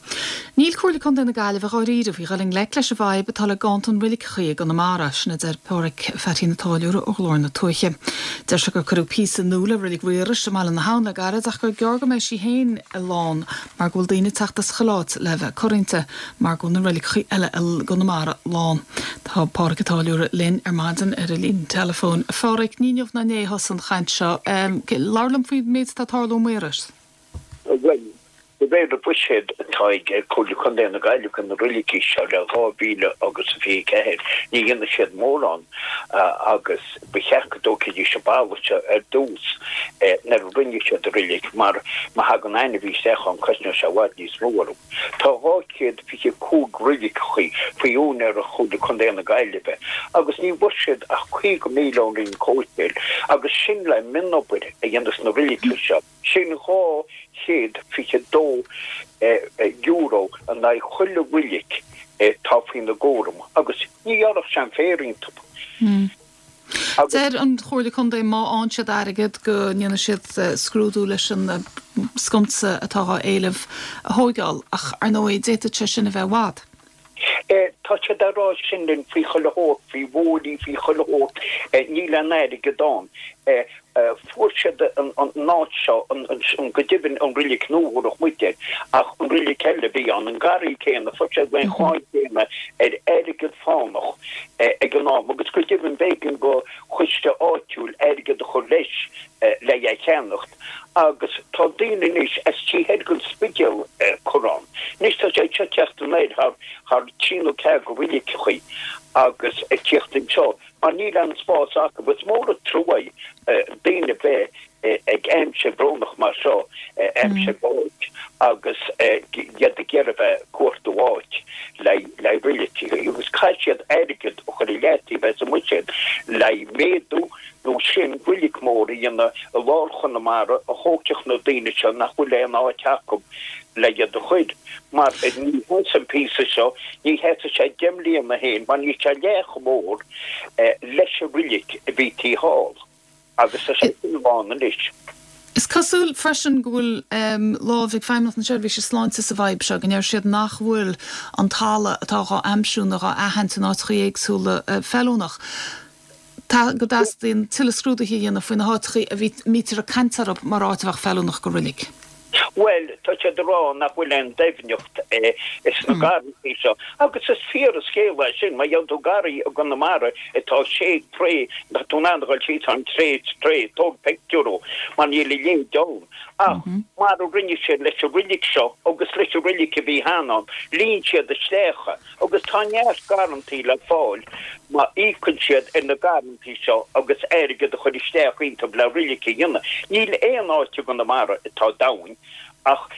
Níl Comhairle Contae na Gaillimhe dháiríre faoi dhul i ngleic leis an bhfadhb atá le ganntan roiliceachaí i gConamara, sin a deir Pádhraic Pheaití an Táilliúra ó Ghlór na Tuaithe. Deir sé gur cuireadh píosa nua le Reilig Mhaorais i mBaile na hAbhann le gairid ach gur gearr go mbeidh sí féin lán mar go bhfuil daoine ag teacht as chuile áit le bheith ag cur inti mar go bhfuil na reiligeachaí eile i gConamara lán. Tá Pádhraic an Táilliúra linn ar maidin ar an líne teileafóin. A Phádhraic, ní inniu ná inné a thosaigh an chaint seo. Labhair liom faoin méid atá ag tarlú i Maorais. Bhuel, de réir an bhuiséid atá ag Comhairle Contae na Gaillimhe do na roiligí seo le 2000 agus 24, ní dhéanfaidh siad mórán agus ba cheart go dtógfaidís an baile seo ar dtús nuair a rinne siad an roilig mar má thagann ainmhí isteach ann cosnóidh sé i bhfad níos mó orthu. Tá 225 roiligeachaí faoi úinéireacht Chomhairle Contae na Gaillimhe agus ní bhfuair siad ach 50,000 ón Roinn Comhshaoil agus sin le mionobair a dhéanamh sna roiligí seo. Sin €222 in aghaidh chuile roilig atá faoina gcúram agus ní ghearrfadh sé an féar iontu. Agus. Deir an Chomhairle Contae má fhaigheann siad airgead go ndéanfaidh siad scrúdú leis an sconsa atá á éileamh a thóigeáil ach ar ndóigh d'fhéadfadh sé sin a bheith i bhfad. Tá siad á rá sin linn faoi chuile shórt, faoi bhóithrí, faoi chuile shórt. Níl aon airgead ann. Fuair siad an áit seo, go deimhin an roilig nua a thabharfadh muid air, ach an roilig eile a bhí ann, an garraí céanna, fuair siad an cháin chéanna ar airgead fánach ag an am agus go deimhin b'éigean do choiste áitiúil airgead a chur leis le é a cheannacht. Agus tá daoine anois as taobh thoir den Spidéal curtha ann. Anois tá siad seo ag teacht anoir thar thar trí nó ceathair de roiligeachaí agus ag tíocht anseo mar níl aon spás acu. Is mór an trua é daoine bheith ag aimsir bhrónach mar seo, aimsir báis agus iad ag iarraidh bheith ag cuartú áit le le roiligeachaí agus caithfidh siad airgead a chur i leataobh as an mbuiséad le méadú nó sin roilig mór a dhéanamh i lár Chonamara a thógfadh na daoine seo nach bhfuil aon áit acu le iad a chur, mar ní sheasfaidh an píosa seo, ní sheasfaidh sé 10 mbliana féin mar níl sé leath chomh mór leis an roilig a bhí taobh thall agus tá sé sin lán anois. Is cosúil freisin go bhfuil lámh ag Feidhmeannacht na Seirbhíse Sláinte sa bhfadhb seo, go ndeir siad nach bhfuil an talamh atá dhá aimsiú nó dhá aithint in áiteachaí éagsúla feiliúnach. Tá, go dteastaíonn tuilleadh scrúduithe a dhéanamh faoi na háiteachaí a mbítear ag caint orthu mar áit a bheadh feiliúnach go roilig. Bhuel, tá siad ag rá nach bhfuil aon doimhneacht sna garrantaí seo. Agus is fíor an scéal é sin. Má gheobhann tú garraí i gConamara atá sé troigh, tá tú in ann a dhul síos ann tré troigh, tóg pictiúr dhó, mar níl a leithéid ann. Ach mar a rinne siad leis an roilig seo agus leis an roilig a bhí cheana ann, líon siad isteach é. Agus tá neart garrantaí le fáil má íocann siad ar na garrantaí seo agus airgead a chur isteach iontu le roilig a dhéanamh. Níl aon áit i gConamara atá domhain ach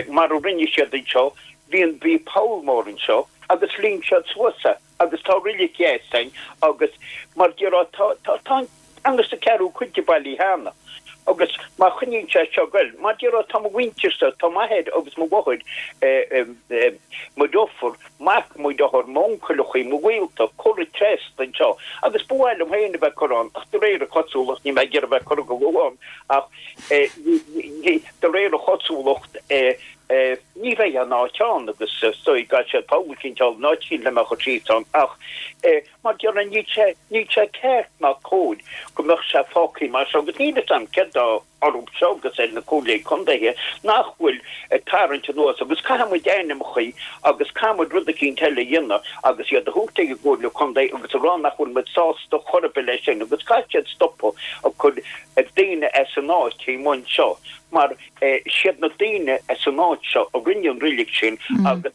mar a rinne siad anseo. Bhí an, bhí poll mór anseo agus líon siad suas é agus tá roilig dheas ann agus mar déarfá tá, tá, tá an ceann is an ceathrú cuid de bailithe cheana agus má choinníonn sé seo ag goil, mar déarfá tá mo mhuintirse, tá m'athair agus mo mháthair, mo dheirfiúr, mac mo dhearthár, m'uncaileachaí, mo ghaolta curtha trasna anseo agus ba mhaith liom féin a bheith curtha ann ach de réir a chosúlacht níl mé ag iarraidh a bheith curtha go luath ann ach de réir a chosúlacht ní bheidh aon áit ann agus is dóigh go gcaithfidh siad poll eicínt a fháil in áit eicínt le mé a chur síos ann ach mar déarfá níl sé níl sé ceart ná cóir go mbeadh sé fágtha mar seo agus níl fhios a'm céard tá orthu seo agus ar na comhairlí contaetha nach bhfuil ag tarraingt anuas agus caithfidh muid ainmneachaí agus caithfidh muid rud eicínt eile a dhéanamh agus iad a thabhairt ag an gcomhairle contae agus a rá nach bhfuil muid sásta chor ar bith leis sin agus caithfidh siad stopadh ag cur daoine as an áit i mbun seo mar siad na daoine as an áit seo a rinne an roilig sin agus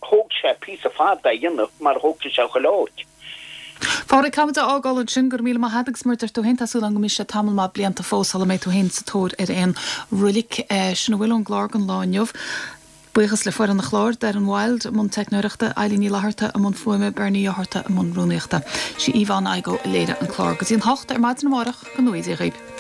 thóg sé píosa fada é a dhéanamh mar thógfaidh sé chuile áit. Phádraig, caithfimid a fhágáil ansin, go raibh míle maith agat agus mar a deir tú féin, tá súil agam go mbeidh sé tamall maith blianta fós sula mbeidh tú féin sa tóir ar aon roilig. Sin a bhfuil ón gclár don lá inniu. Buíochas le foireann an chláir, Darren Wilde i mbun teicneoireachta, Eilín Ní Fhlatharta i mbun fuaime, Bernie Ó hEarta i mbun rúnaíochta. Sí Yvonne Igoe a léirigh an clár. Go dtí an hocht ar maidin amárach, go ngnóthaí Dia dhaoibh.